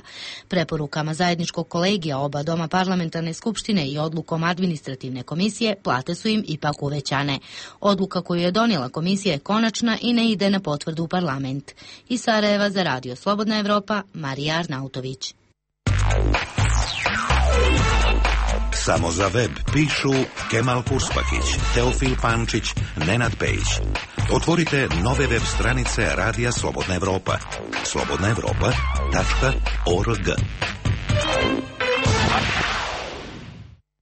Preporukama zajedničkog kolegija oba doma parlamentarne skupštine i odlukom administrativne komisije, plate su im ipak uvećane. Odluka koju je donijela komisija je konačna i ne ide na potvrdu u parlament. Iz Sarajeva za Radio Slobodna Evropa, Marija Arnautović. Samo za web pišu Kemal Purspakić, Teofil Pančić, Nenad Pejić. Otvorite nove web stranice Radija Slobodna Evropa. slobodnaevropa.org.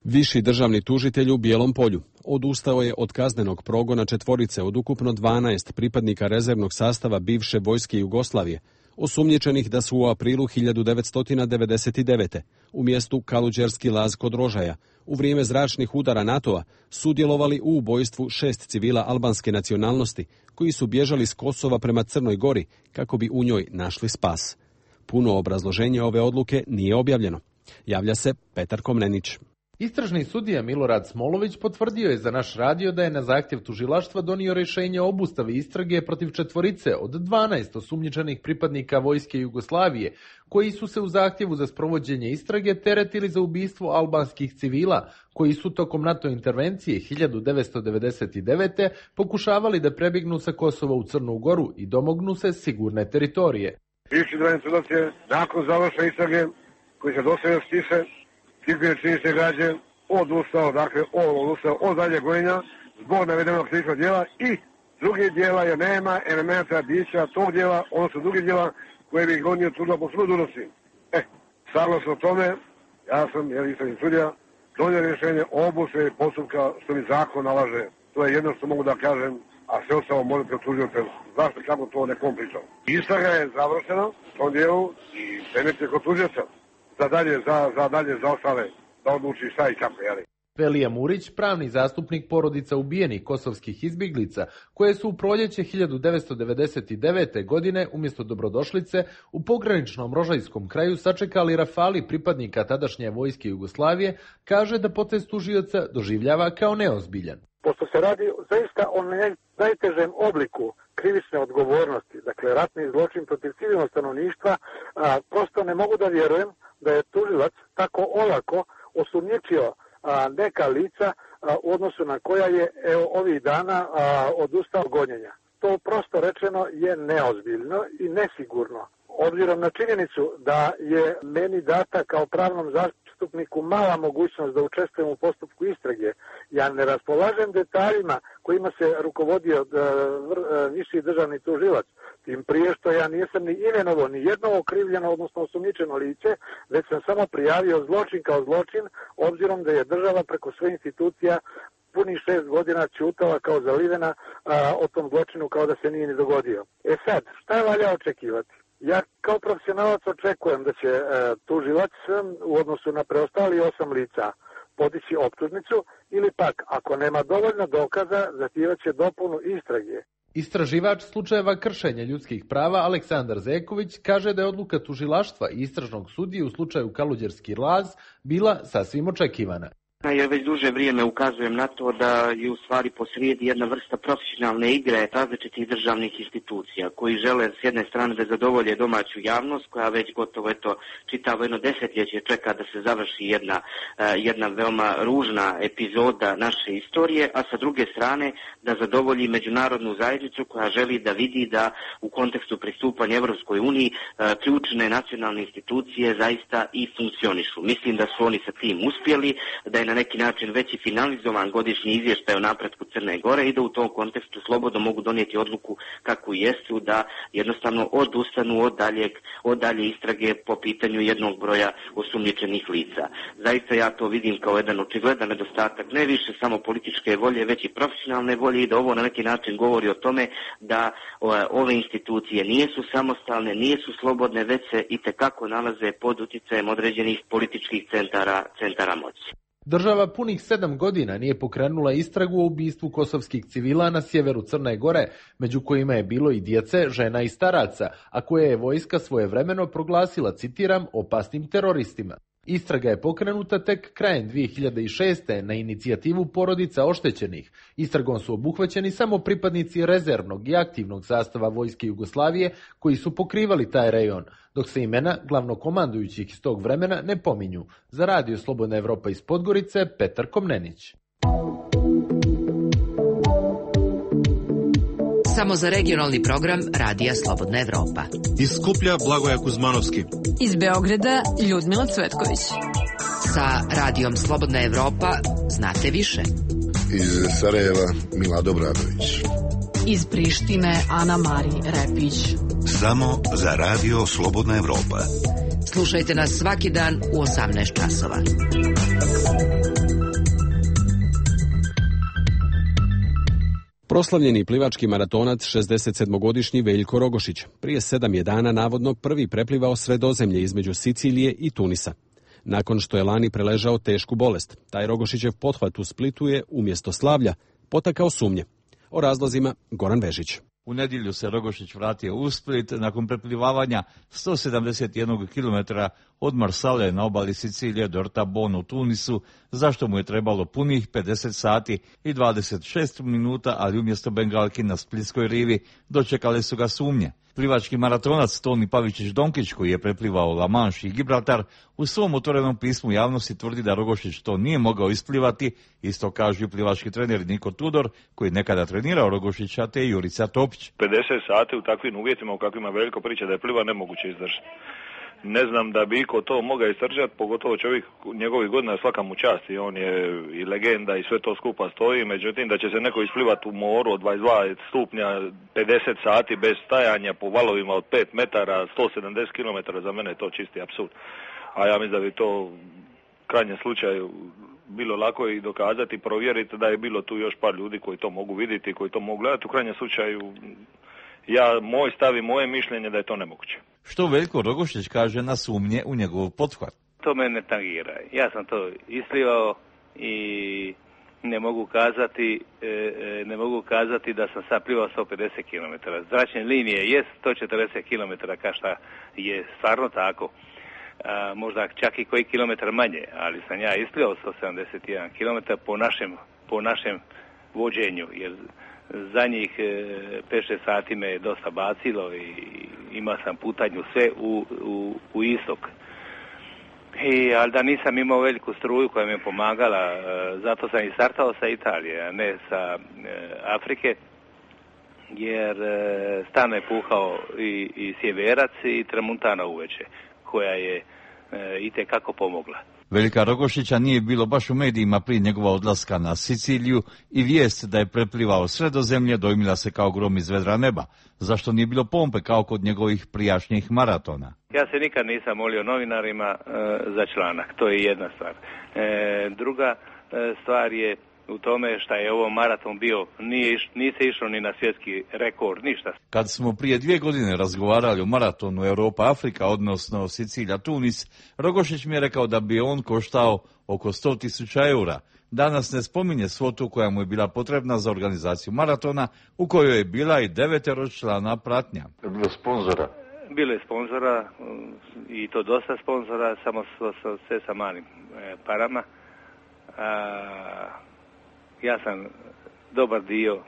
Viši državni tužitelj u Bijelom Polju odustao je od kaznenog progona 4 od ukupno 12 pripadnika rezervnog sastava bivše vojske Jugoslavije, osumnjičenih da su u aprilu 1999. u mjestu Kaluđerski Laz kod Rožaja u vrijeme zračnih udara NATO-a sudjelovali u ubojstvu 6 civila albanske nacionalnosti koji su bježali s Kosova prema Crnoj Gori kako bi u njoj našli spas. Puno obrazloženje ove odluke nije objavljeno. Javlja se Petar Komnenić. Istražni sudija Milorad Smolović potvrdio je za naš radio da je na zahtjev tužilaštva donio rješenje o obustavi istrage protiv 4 od 12 osumnjičenih pripadnika vojske Jugoslavije, koji su se u zahtjevu za sprovođenje istrage teretili za ubistvo albanskih civila, koji su tokom NATO intervencije 1999. pokušavali da prebjegnu sa Kosova u Crnu Goru i domognu se sigurne teritorije. Bivši državni sudac je nakon završene istrage, koji se dosta stiše, Tikvije činjenične građe, odustao od dalje gojenja zbog navedenog krivičnog djela i drugih djela jer nema elementa bića tog djela, odnosno drugih djela koje bi gonio tužba po sudu dužnosti. Saglasno tome, ja sam, jer nisam i sudija, donio rješenje o obustavi postupka što mi zakon nalaže. To je jedno što mogu da kažem, a sve ostalo možete otužiti. Zašto, kako to nekom pričao. Istraga je završena u tom dijelu i predmet je kod tužioca za ostale da odluči šta i kako, jeli. Velija Murić, pravni zastupnik porodica ubijenih kosovskih izbjeglica, koje su u proljeće 1999. godine umjesto dobrodošlice u pograničnom rožajskom kraju sačekali rafali pripadnika tadašnje vojske Jugoslavije, kaže da potez tužioca doživljava kao neozbiljan. Pošto se radi zaista o najtežem obliku krivične odgovornosti, dakle ratni zločin protiv civilnog stanovništva, prosto ne mogu da vjerujem da je tužilac tako olako osumnjičio neka lica u odnosu na koja je ovih dana odustao gonjenja. To prosto rečeno je neozbiljno i nesigurno. Obzirom na činjenicu da je meni data kao pravnom zastupniku mala mogućnost da učestvujem u postupku istrage, ja ne raspolažem detaljima kojima se rukovodio viši državni tužilac, tim prije što ja nisam ni imenovao ni jedno okrivljeno, odnosno osumnjičeno lice, već sam samo prijavio zločin kao zločin, obzirom da je država preko sve institucija punih 6 godina ćutala kao zalivena o tom zločinu kao da se nije ni dogodio. Sad, šta je valja očekivati? Ja kao profesionalac očekujem da će tužilac u odnosu na preostali 8 lica podići optužnicu ili pak, ako nema dovoljno dokaza, zahtjevaće dopunu istrage. Istraživač slučajeva kršenja ljudskih prava Aleksandar Zeković kaže da je odluka tužilaštva i istražnog sudije u slučaju Kaluđerski laz bila sasvim očekivana. Ja već duže vrijeme ukazujem na to da je u stvari posrijedi jedna vrsta profesionalne igre različitih državnih institucija koji žele s jedne strane da zadovolje domaću javnost koja već gotovo čitavo jedno desetljeće čeka da se završi jedna veoma ružna epizoda naše istorije, a sa druge strane da zadovolji međunarodnu zajednicu koja želi da vidi da u kontekstu pristupanja Evropskoj uniji ključne nacionalne institucije zaista i funkcionišu. Mislim da su oni sa tim uspjeli, da je na neki način već i finalizovan godišnji izvještaj o napretku Crne Gore i da u tom kontekstu slobodno mogu donijeti odluku kakvu jesu, da jednostavno odustanu od dalje istrage po pitanju jednog broja osumnjičenih lica. Zaista ja to vidim kao jedan očigledan nedostatak, ne više samo političke volje, već i profesionalne volje i da ovo na neki način govori o tome da ove institucije nisu samostalne, nisu slobodne, već se itekako nalaze pod utjecajem određenih političkih centara moći. Država punih 7 godina nije pokrenula istragu o ubistvu kosovskih civila na sjeveru Crne Gore, među kojima je bilo i djece, žena i staraca, a koje je vojska svojevremeno proglasila, citiram, opasnim teroristima. Istraga je pokrenuta tek krajem 2006. na inicijativu porodica oštećenih. Istragom su obuhvaćeni samo pripadnici rezervnog i aktivnog sastava vojske Jugoslavije koji su pokrivali taj rejon, dok se imena glavnokomandujućih iz tog vremena ne pominju. Za Radio Slobodna Evropa iz Podgorice, Petar Komnenić. Samo za regionalni program Radija Slobodna Evropa. Iz Skuplja Blagoja Kuzmanovski. Iz Beograda Ljudmila Cvetković. Sa Radijom Slobodna Evropa znate više. Iz Sarajeva Milado Bradović. Iz Prištine Ana Mari Repić. Samo za Radio Slobodna Evropa. Slušajte nas svaki dan u 18 časova. Proslavljeni plivački maratonac 67-godišnji Veljko Rogošić prije 7 je dana navodno prvi preplivao Sredozemlje između Sicilije i Tunisa. Nakon što je lani preležao tešku bolest, taj Rogošićev pothvat u Splitu je umjesto slavlja potakao sumnje. O razlozima Goran Vežić. U nedjelju se Rogošić vratio u Split nakon preplivavanja 171 km od Marsale na obali Sicilije do Rta Bon u Tunisu, zašto mu je trebalo punih 50 sati i 26 minuta, ali umjesto bengalki na Splitskoj rivi dočekale su ga sumnje. Plivački maratonac Toni Pavičić-Donkić, koji je preplivao La Manche i Gibraltar, u svom otvorenom pismu javnosti tvrdi da Rogošić to nije mogao isplivati, isto kažu i plivački trener Niko Tudor, koji nekada trenirao Rogošića, te Jurica Topić. 50 sati u takvim uvjetima u kakvima Veljko priča da je pliva nemoguće izdržati. ne znam da bi iko to mogao istrčati, pogotovo čovjek njegovih godina, svaka mu čast i on je i legenda i sve to skupa stoji, međutim da će se neko isplivati u moru od 22 stupnja 50 sati bez stajanja po valovima od 5 metara, 170 km, za mene je to čisti apsurd. A ja mislim da bi to u krajnjem slučaju bilo lako i dokazati, provjeriti da je bilo tu još par ljudi koji to mogu vidjeti, koji to mogu gledati. U krajnjem slučaju, moj stav i moje mišljenje da je to nemoguće. Što Veljko Rogošić kaže na sumnje u njegov pothvat? To me ne tangira. Ja sam to isplivao i ne mogu kazati da sam sad plivao 150 km. Zračne linije je 140 km, kao šta je stvarno tako. Možda čak i koji kilometar manje, ali sam ja isplivao 171 km po našem vođenju, jer zadnjih 5-6 sati me je dosta bacilo i imao sam putanju sve u istok. Ali da nisam imao veliku struju koja mi je pomagala, zato sam i startao sa Italije, a ne sa Afrike, jer stalno je puhao i sjeverac i tramuntana uveče, koja je itekako pomogla. Veljka Rogošića nije bilo baš u medijima prije njegova odlaska na Siciliju i vijest da je preplivao Sredozemlje dojmila se kao grom iz vedra neba. Zašto nije bilo pompe kao kod njegovih prijašnjih maratona? Ja se nikad nisam molio novinarima za članak, to je jedna stvar. Druga stvar je u tome što je ovo maraton bio, nije se išlo ni na svjetski rekord, ništa. Kad smo prije 2 godine razgovarali o maratonu Europa-Afrika, odnosno Sicilija-Tunis, Rogošić mi je rekao da bi on koštao oko 100.000 eura. Danas ne spominje svotu koja mu je bila potrebna za organizaciju maratona, u kojoj je bila i 9-člana pratnja. Bilo sponzora? Bilo je sponzora i to dosta sponzora, samo sve sa malim parama. Ja sam dobar dio,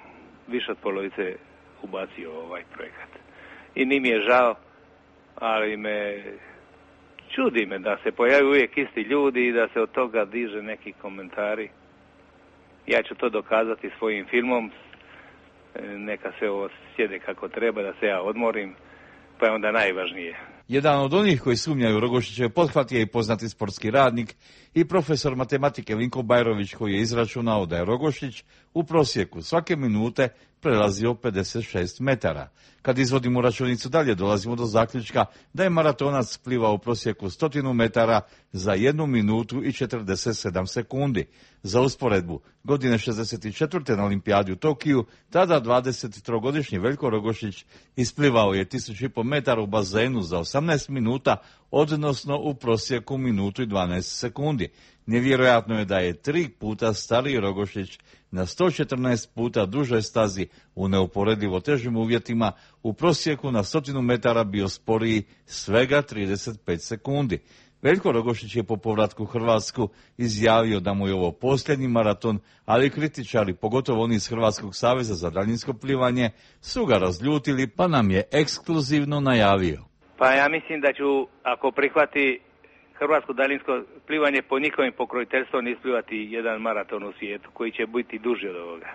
više od polovice ubacio ovaj projekat. I nije mi je žao, ali čudi me da se pojavaju uvijek isti ljudi i da se od toga diže neki komentari. Ja ću to dokazati svojim filmom, neka se ovo sjede kako treba, da se ja odmorim, pa je onda najvažnije. Jedan od onih koji sumnjaju Rogošićev pothvat je i poznati sportski radnik i profesor matematike Vinko Bajrović, koji je izračunao da je Rogošić u prosjeku svake minute prelazio 56 metara. Kad izvodimo računicu dalje, dolazimo do zaključka da je maratonac plivao u prosjeku 100 metara za 1 minutu i 47 sekundi. Za usporedbu, godine 64. na Olimpijadi u Tokiju, tada 23-godišnji Veljko Rogošić isplivao je 1500 metara u bazenu za 18 minuta, odnosno u prosjeku minutu i 12 sekundi. Nevjerojatno je da je 3 puta stariji Rogošić na 114 puta dužoj stazi u neuporedivo težim uvjetima u prosjeku na 100 metara bio sporiji svega 35 sekundi. Veljko Rogošić je po povratku u Hrvatsku izjavio da mu je ovo posljednji maraton, ali kritičari, pogotovo oni iz Hrvatskog saveza za daljinsko plivanje, su ga razljutili, pa nam je ekskluzivno najavio. Pa ja mislim da ću, ako prihvati hrvatsko daljinsko plivanje, po njihovim pokroviteljstvom isplivati jedan maraton u svijetu, koji će biti duži od ovoga.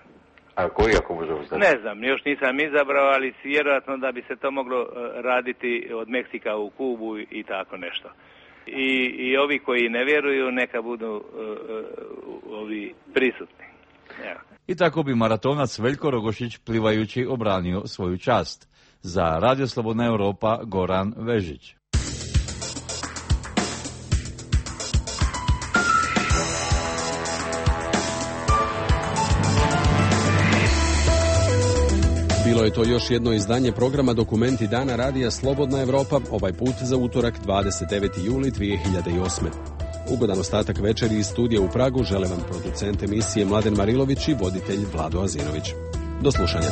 A koji, ako možemo znati? Ne znam, još nisam izabrao, ali vjerojatno da bi se to moglo raditi od Meksika u Kubu i tako nešto. I ovi koji ne vjeruju, neka budu ovi prisutni. Ja. I tako bi maratonac Veljko Rogošić plivajući obranio svoju čast. Za Radio Slobodna Europa, Goran Vežić. Bilo je to još jedno izdanje programa Dokumenti dana Radija Slobodna Europa, ovaj put za utorak 29. juli 2008. Ugodan ostatak večeri iz studija u Pragu žele vam producent emisije Mladen Marilović i voditelj Vlado Azinović. Do slušanja.